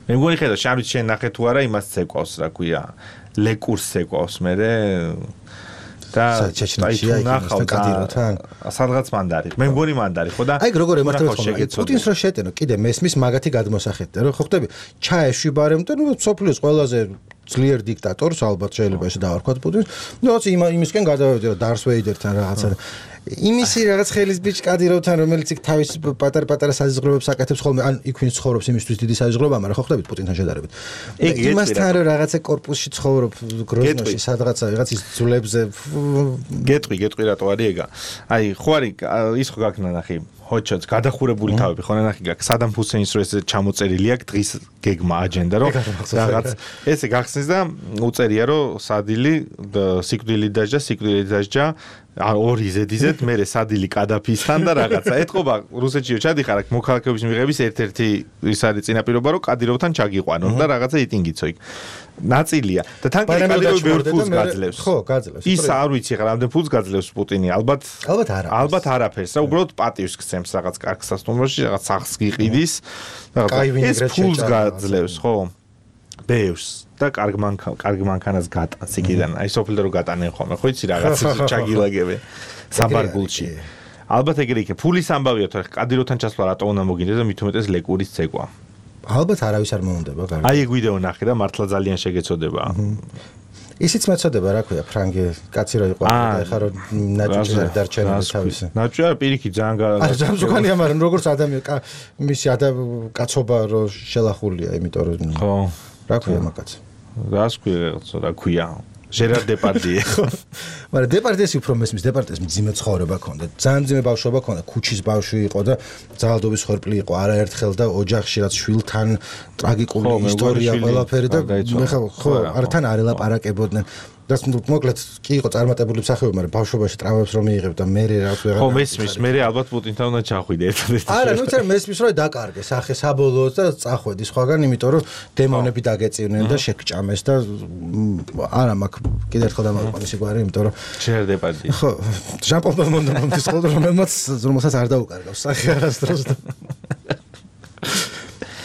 მე მგონი ხედავს შავით შენ ნახე თუ არა იმას ცეკვავს რა ქვია ლეკურს ცეკვავს მე და ჩეჩნეთშია იქ კადიროთან სადღაც მანდარი მე მგონი მანდარი ხო და აი როგორ ემართება ხოლმე პუტინს რო შეტენო კიდე მესმის მაგათი გადმოსახედდა რომ ხო ხტები ჩაეშვი ბარემ და ნუ სოფლიოს ყველაზე ძლიერ დიქტატორს ალბათ შეიძლება ესე დავარქვათ პუტინს ნუ რაც იმისკენ გადავევდი რომ დარს ვეიდერთან რაღაცა იმისი რაღაც ხელის ბიჭ კადიროვთან რომელიც იქ თავის პატარ-პატარა საზღვრებებს აკეთებს ხოლმე ან იქ ვინც ცხოვრობს იმისთვის დიდი საზღვრებაა მაგრამ ხო ხტებით პუტინთან შედარებით იმასთან რომ რაღაცა კორპუსში ცხოვრობ გროზნოში სადღაცა რაღაც ის ძულებზე გეტყვი გეტყვი რატო არის ეგა აი ხო არის ის ხო გაქნა ნახი ჰოჩოც გადახურებული თავები ხო ნახი გაქვს სადამ ჰუსეინს რო ესე ჩამოწერილი აქვს დღის გეგმა აჯენდა რომ რაღაც ესე გახსნის და უწერია რომ სადილი სიკვდილი დაჟა სიკვდილი დაჟა ორი ზედიზეთ მე სადილი კადაფისთან და რაღაცა ეთყობა რუსეთშიო ჩადიხარ აქ მოქალაქეობის მიღების ერთ-ერთი ის არის წინაპირობა რომ კადიროვთან ჩაგიყვანონ და რაღაცა იტინგიცო იქ ნაწილია და თან კადიროვი ბევრ ფულს გაძლევს ხო გაძლევს ის არ ვიცი ხარ ამდენ ფულს გაძლევს პუტინი ალბათ ალბათ არა ალბათ არაფერს რა უბრალოდ პატივს გცემს რაღაც კარგ სასტუმროში რაღაც სახს გიყიდის რაღაცა ეს ფულს გაძლევს ხო ბევრს და კარგ მანქანას კარგ მანქანას გატანს იქიდან აი სოფლდე რო გატანენ ხოლმე ხო იცი რაღაც ჩაგილაგებენ საბარგულში ალბათ ეგრე იქე ფულის ამბავია თორე კადიროვთან ჩასვლა რატო უნდა მოგინდეს და მით უმეტეს ლეკურის ცეკვა ალბათ არავის არ მოუნდება კარგი აი ეგ ვიდეო ნახე და მართლა ძალიან შეგეცოდება ისიც მეცოდება რა ქვია ფრანგი კაცი რო იყო და ეხა რომ ნაჭუჭი არ დარჩენილი თავისი ნაჭუჭი არა პირიქით ძალიან არა ჯამსუქანია მაგრამ როგორც ადამიანი მისი კაცობა რო შელახულია იმიტომ რომ ხო რა ქვია მაგაც რას ქვია რა ქვია ჟერარ დეპარდიე ხო მაგრამ დეპარდიეს უფრო მესმის დეპარდიეს მძიმე ცხოვრება ჰქონდა ძალიან მძიმე ბავშვობა ჰქონდა ქუჩის ბავშვი იყო და ძალადობის ხორპლი იყო არაერთხელ და ოჯახში რაც შვილთან ტრაგიკული ისტორია ყველაფერი და მე ხო არა თან არ ელაპარაკებოდნენ და მოკლედ კი იყო წარმატებული მსახიობი მაგრამ ბავშვობაში ტრავმებს რომ მიიღებ და მე რა ვეღარ ხო მესმის მე ალბათ პუტინთან უნდა ჩახვიდე ერთადერთი არა ნუ წერ მესმის რომ დაკარგეს ახე საბოლოოდ და წახვედი სხვაგან იმიტომ რომ დემონები დაგეწივნენ და შეკჭამეს და არა მაგ კიდე ერთხელ დამაყვანე სიგვარი იმიტომ რომ ჟერ დეპარდიე ხო ჟან პოლ ბელმონტი მომდის ხოლმე რომელმაც რომელსაც არ დაუკარგავს სახე არასდროს და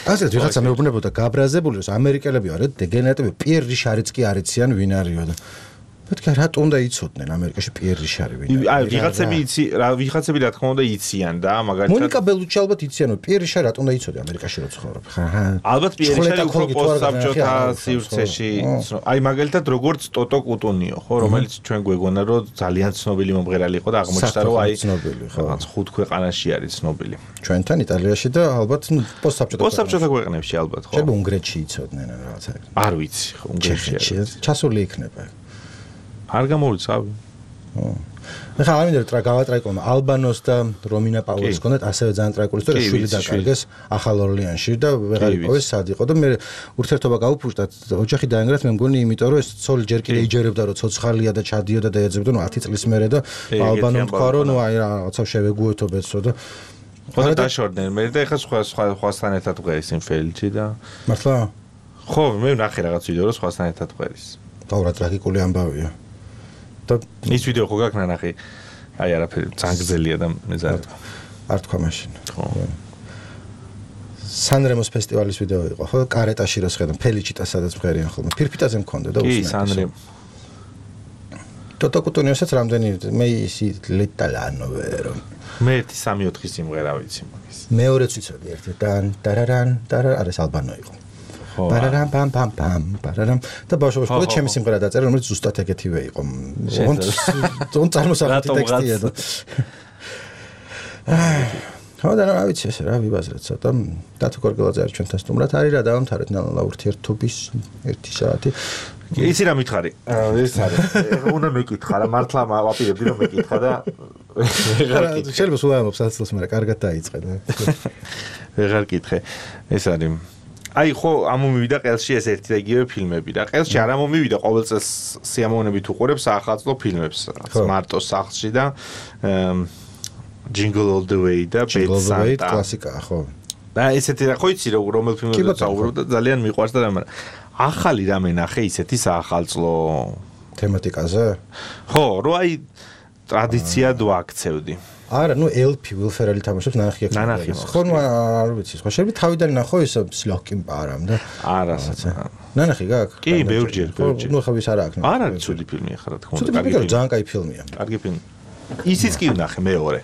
ასე ვიღაცა მეუბნებოდა გაბრაზებული რომ ამერიკელები არეთ დეგენერატები პიერ რიშარიც კი არიციან ვინ არისო და მეთქე რატო უნდა იცოდნენ ამერიკაში პიერ რიშარი ვინ აი ვიღაცები იცი რა ვიღაცები რა თქმა უნდა იციან და მაგალითად მონიკა ბელუჩი ალბათ იციან რომ პიერ რიშარი რატო უნდა იცოდე ამერიკაში რო ცხოვრობ ხა ალბათ პიერ რიშარი უფრო პოსტსაბჭოთა სივრცეში აი მაგალითად როგორც ტოტო კუტუნიო ხო რომელიც ჩვენ გვეგონა რომ ძალიან ცნობილი მომღერალი იყო და აღმოჩნდა რომ აი რაღაც ხუთ ქვეყანაში არის ცნობილი ჩვენთან იტალიაში და ალბათ პოსტსაბჭოთა პოსტსაბჭოთა ქვეყნებში ალბათ ხო შეიძლება უნგრეთში იცოდნენ რაღაცა არ ვიცი ხო უნგრეთში ჩასული იქნება არ გამოვიცავი. ხო. ხა არ მინდა რა გავატრაიკო ალბანოს და რომინა პაულეს კონდეთ ასევე ძალიან ტრაიკული ისტორია შვილი დაკარგეს ახალ ორლეანში და ვეღარ იყო სად იყო და მე ურთიერთობა გაუფუშდა ოჯახი დაანგრათ მე მგონი იმიტომ რომ ეს ცოლი ჯერ კიდე იჯერებდა რომ ცოცხალია და ჩადიოდა და ეძებდა ნუ ათი წლის მერე და ალბანომ თქვა რომ ნუ აი რაღაცა შევეგუეთო ბეცო და ხო დაშორდნენ მე და ეხა სხვა სხვასთან ერთად ვღერის იმ ფილმში და მართლა ხო მე ნახე რაღაც ვიდეო რომ სხვასთან ერთად ვღერის და რა ტრაგიკული ამბავია და ის ვიდეო ხო გაქნა ნახე აი არაფერი ძანგზელია და მეზარ არ თქვა მაშინ ხო სანრემოს ფესტივალის ვიდეო იყო ხო კარეტაში რო შეხედა ფელიჩიტა სადაც მღერიან ხოლმე ფირფიტაზე მქონდა და усმენდა კი სანრემ ტოტო კუტუნიოსაც რამდენი მე ისი ლეტალანო ვერო მე სამი ოთხი სიმღერა ვიცი მაგის მეორეც ვიცოდი ერთი დან დარარან დარა არის ალბანო იყო პარარამ პამ პამ პამ პარარამ და ბავშვობაში ყო ჩემი სიმღერა დაწერა რომელიც ზუსტად ეგეთივე იყო თონ წარმოსახვითი ტექსტია და ხო და რა ვიცი ესე რა ვიბაზრეთ ცოტა დათო გორგელაძე არის ჩვენთან სტუმრად არის რა დავამთავრეთ ნალა ურთიერთობის ერთი საათი იცი რა მითხარი ეს არის უნდა მეკითხა რა მართლა ვაპირებდი რომ მეკითხა და ვეღარ კითხე შეიძლება სულ ამობს აცილს მაგრამ კარგად დაიწყე ვეღარ კითხე ეს არის აი ხო ამომივიდა ყელში ეს ერთი და იგივე ფილმები და ყელში არ ამომივიდა ყოველ წელს სიამოვნებით უყურებ საახალწლო φιλმებს მარტო სახლში და Jingle All the Way და Jingle All the Way კლასიკაა ხო და ესეთი რა ხო იცი რომელ ფილმებზე საუბრობ და ძალიან მიყვარს და მაგრამ ახალი რამე ნახე ისეთი საახალწლო თემატიკაზე ხო რო აი ტრადიციად ვაქცევდი არა ნუ ელპი ვილფერალი თამაშობს ნანახი აქ ნანახი ხო ნუ არ ვიცი ხო შეიძლება თავიდან ნახო ის სლოკიმ პარამ და არა ნანახი გაქვს კი ბევრჯერ ბევრჯერ ნუ ხავის არა აქვს არა ცუდი ფილმია ხარ რა თქმა უნდა კარგი ფილმია ძალიან კაი φιλმია კარგი ფილმი ისიც კი ვნახე მეორე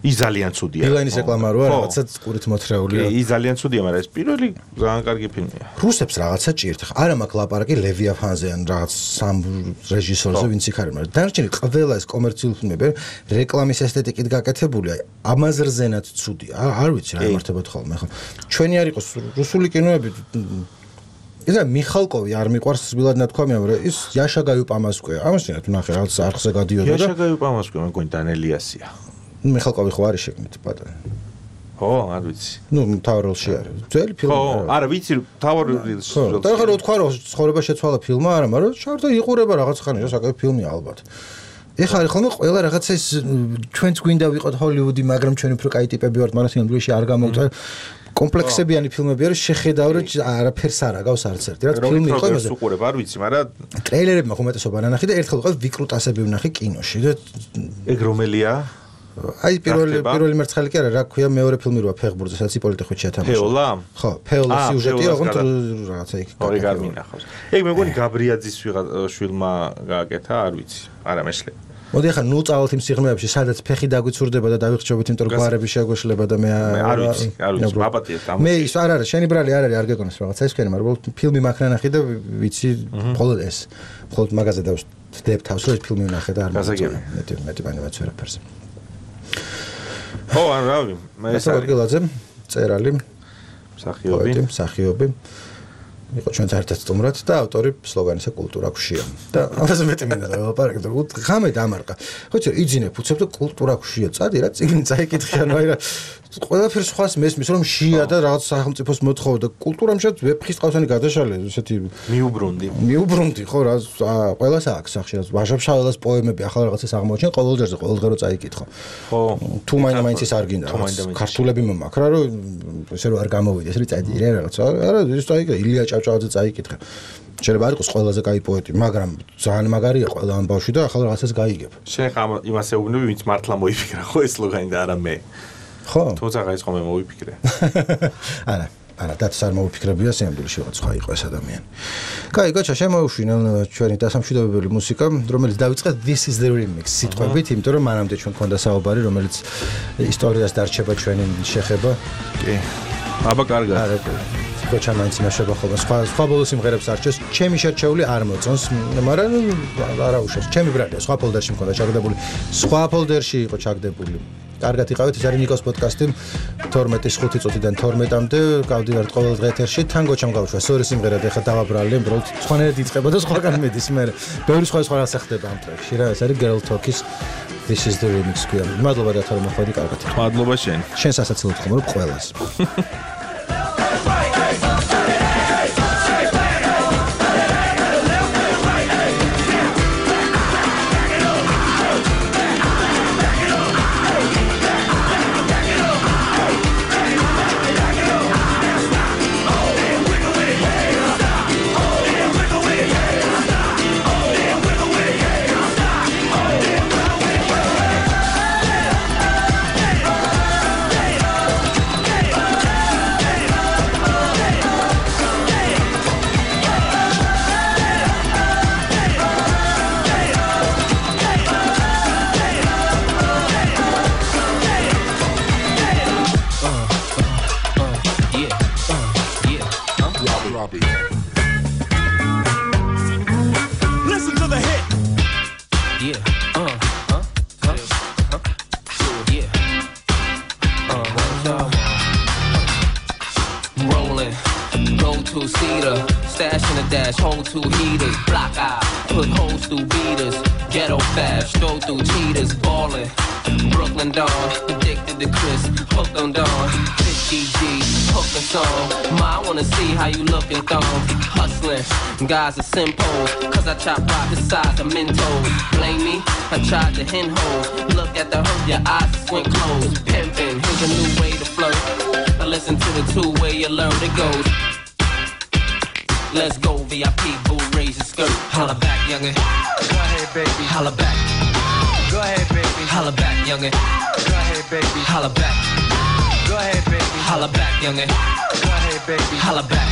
ის ძალიან ცუდია. ბილაინის რეკლამა როა რაღაცა ყურით მოთრეულია. კი, ის ძალიან ცუდია, მაგრამ ეს პირველი ძალიან კარგი ფილმია. რუსებს რაღაცა ჭირთ. არა მაქვს ლაპარაკი ლევიაფანზე ან რაღაც სამ რეჟისორზე ვინც იქ არის, მაგრამ დანარჩენი ყველა ეს კომერციული ფილმები რეკლამის ესთეტიკით გაკეთებულია. ამაზრზენად ცუდია. არ ვიცი რა იმართებათ ხოლმე ხო. ჩვენი არ იყოს რუსული კინოები ისა მიხალკოვი არ მიყვარს სბილად ნათქვამია, მაგრამ ის იაშა გაიუპამასკვე. ამაშინათ ნახე რაღაც არხზე გადიოდა და იაშა გაიუპამასკვე მეგონი დანელიასია. მიხალკოვი ხო არის შეგნით პატარა. ხო, არ ვიცი. ნუ მთავარ როლში არის. ძველი ფილმი. ხო, არა ვიცი, მთავარ როლში. ხო, და ხა რო თქვა რომ ცხოვრება შეცვალა ფილმმა, არა, მაგრამ შარდა იყურება რაღაც ხანი, საკუთარი ფილმია ალბათ. ეხლა არის ხოლმე ყველა რაღაცა ის ჩვენც გვინდა ვიყოთ ჰოლივუდი, მაგრამ ჩვენი უფრო კაი ტიპები ვართ, მაგრამ სინამდვილეში არ გამოვწერ. კომპლექსებიანი ფილმები არის, შეხედავ რომ არაფერს არ აგავს არც ერთი. რა ფილმი იყო იმაზე? უყურებ, არ ვიცი, მაგრამ ტრეილერებმა ხომეტესობა ნანახი და ერთხელ ვიყავ ვიკრუტასები ვნახე კინოში და ეგ რომელია? აი პირველი პირველი მერცხალი კი არა, რა ქვია, მეორე ფილმი როა ფეხბურთზე, სადაც იპოლიტე ხუჩია თამაშობს. ფეოლა? ხო, ფეოლა სიუჟეტი, ოღონდ რაღაცა იქ. ორი გარმინახავს. ეგ მეგონი გაბრიაძის შვილმა გააკეთა, არ ვიცი. არა მეშლე. მოდი ახლა ნუ წავალთ იმ სიღრმეებში, სადაც ფეხი დაგვიცურდება და დავიხჭობთ, იმიტომ რომ გვარები შეგვეშლება და მე არ ვიცი, არ ვიცი, მაპატიეთ ამ. მე ის არ არის, შენი ბრალი არ არის, არ გეკონოს რაღაცა ის თქვენი, მაგრამ ფილმი მაქნანახი და ვიცი, მხოლოდ ეს. მხოლოდ მაგაზე დავსდებ თავს, რომ ეს ფილმი ვნახე და არ გასაგები. მეტი მეტი ბანებაც ვერაფერზე. ხო, ან რავი, მე ეს არის გელაძე, წერალი, მსახიობი, მსახიობი. იყო ჩვენთან ერთად სტუმრად და ავტორი სლოგანისა კულტურა ქუშია. და ამაზე მეტი მინდა დავაპარაკო, ღამე დამარყა. ხო იცი, იძინებ, უცებ და კულტურა ქუშია. წადი რა, წიგნი წაიკითხე, ანუ აი რა ყველაფერს სხვას მესმის, რომ შია და რაღაც სახელმწიფოს მოთხოვა და კულტურამ შეც ვეფხის ყავსანი გადაშალე, ესეთი მიუბრუნდი. მიუბრუნდი, ხო რა, ყველას აქვს სახში, ვაჟა-ფშაველას პოემები, ახლა რაღაცას აღმოჩენ, ყოველ ჯერზე ყოველდღე რო წაიკითხო. ხო. თუ მაინც ის არ გინდა, ქართულები მომაქ რა, რომ ესე რომ არ გამოვიდეს, რი წადი რა რაღაცა. არა, ის წაიკითხე, ილია ჭავჭავაძე წაიკითხე. შეიძლება არ იყოს ყველაზე კაი პოეტი, მაგრამ ძალიან მაგარია ყველა ამ ბავშვი და ახლა რაღაცას გაიგებ. შენ ხა იმას ეუბნები, ვინც მართლა მოიფიქრა, ხო ეს სლოგანი და არა მე. ხო. თუმცა ის ხომ მე მოვიფიქრე. არა, არა, დათოს არ მოვიფიქრებია, სიამდვილეში რაღაც სხვა იყო ეს ადამიანი. კაი, გოჩა, შემოუშვინე ჩვენი დასამშვიდობებელი მუსიკა, რომელიც დავიწყეთ This is the Remix სიტყვებით, იმიტომ რომ მანამდე ჩვენ გქონდა საუბარი, რომელიც ისტორიას დარჩება ჩვენი შეხება. კი. აბა კარგად. არა, გოჩა მაინც იმაშება ხოლმე. სხვა სხვა ბოლო სიმღერებს არჩევს, ჩემი შერჩეული არ მოწონს, მაგრამ არა უშავს. ჩემი ბრალია, სხვა ფოლდერში მქონდა ჩაგდებული. სხვა ფოლდერში იყო ჩაგდებული. კარგად იყავით, ეს არის ნიკოს პოდკასტი თორმეტის ხუთი წუთიდან თორმეტამდე გავდივართ ყოველ დღე ეთერში თან გოჩამ გავუშვა სწორი სიმღერა და ეხლა დავაბრალე უბრალოდ სხვანაირად იწყება და სხვაგან მედის მე ბევრი სხვა სხვა რას ხდება ამ ტრეკში რა ეს არის Girl Talk-ის This is the Remix ქვია მადლობა დათო რომ მოხვედი კარგად მადლობა შენ შენ სასაცილოდ ხმობ ყველას ballin'. Go to cedar, stash in a dash, hold two heaters, block eye, put holes through beaters, ghetto fast, stroll through cheaters, ballin'. Brooklyn Dawn, addicted to Chris, hooked on Dawn, fifty G, hooked on song. Ma, I wanna see how you lookin' thong, hustlin', guys are simples, cause I chop rock the size of Mentos. Blame me, I tried to hen holes, look at the hook, your eyes squint closed. Pimpin', here's a new way to flirt, I listen to the two-way you learn it goes. Let's go, V I P, boo, raise your skirt. Holla back, youngin'. Go ahead, baby. Holla back. Go ahead, baby. Holla back, youngin'. Go ahead, baby. Holla back. Go ahead, baby. Holla back, youngin'. Go ahead, baby. Holla back.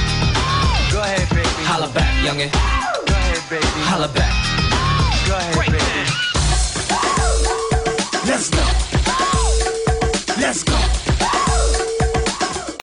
Go ahead, baby. Holla back, youngin'. Go ahead, baby. Holla back. Go ahead, baby. Let's go. Let's go.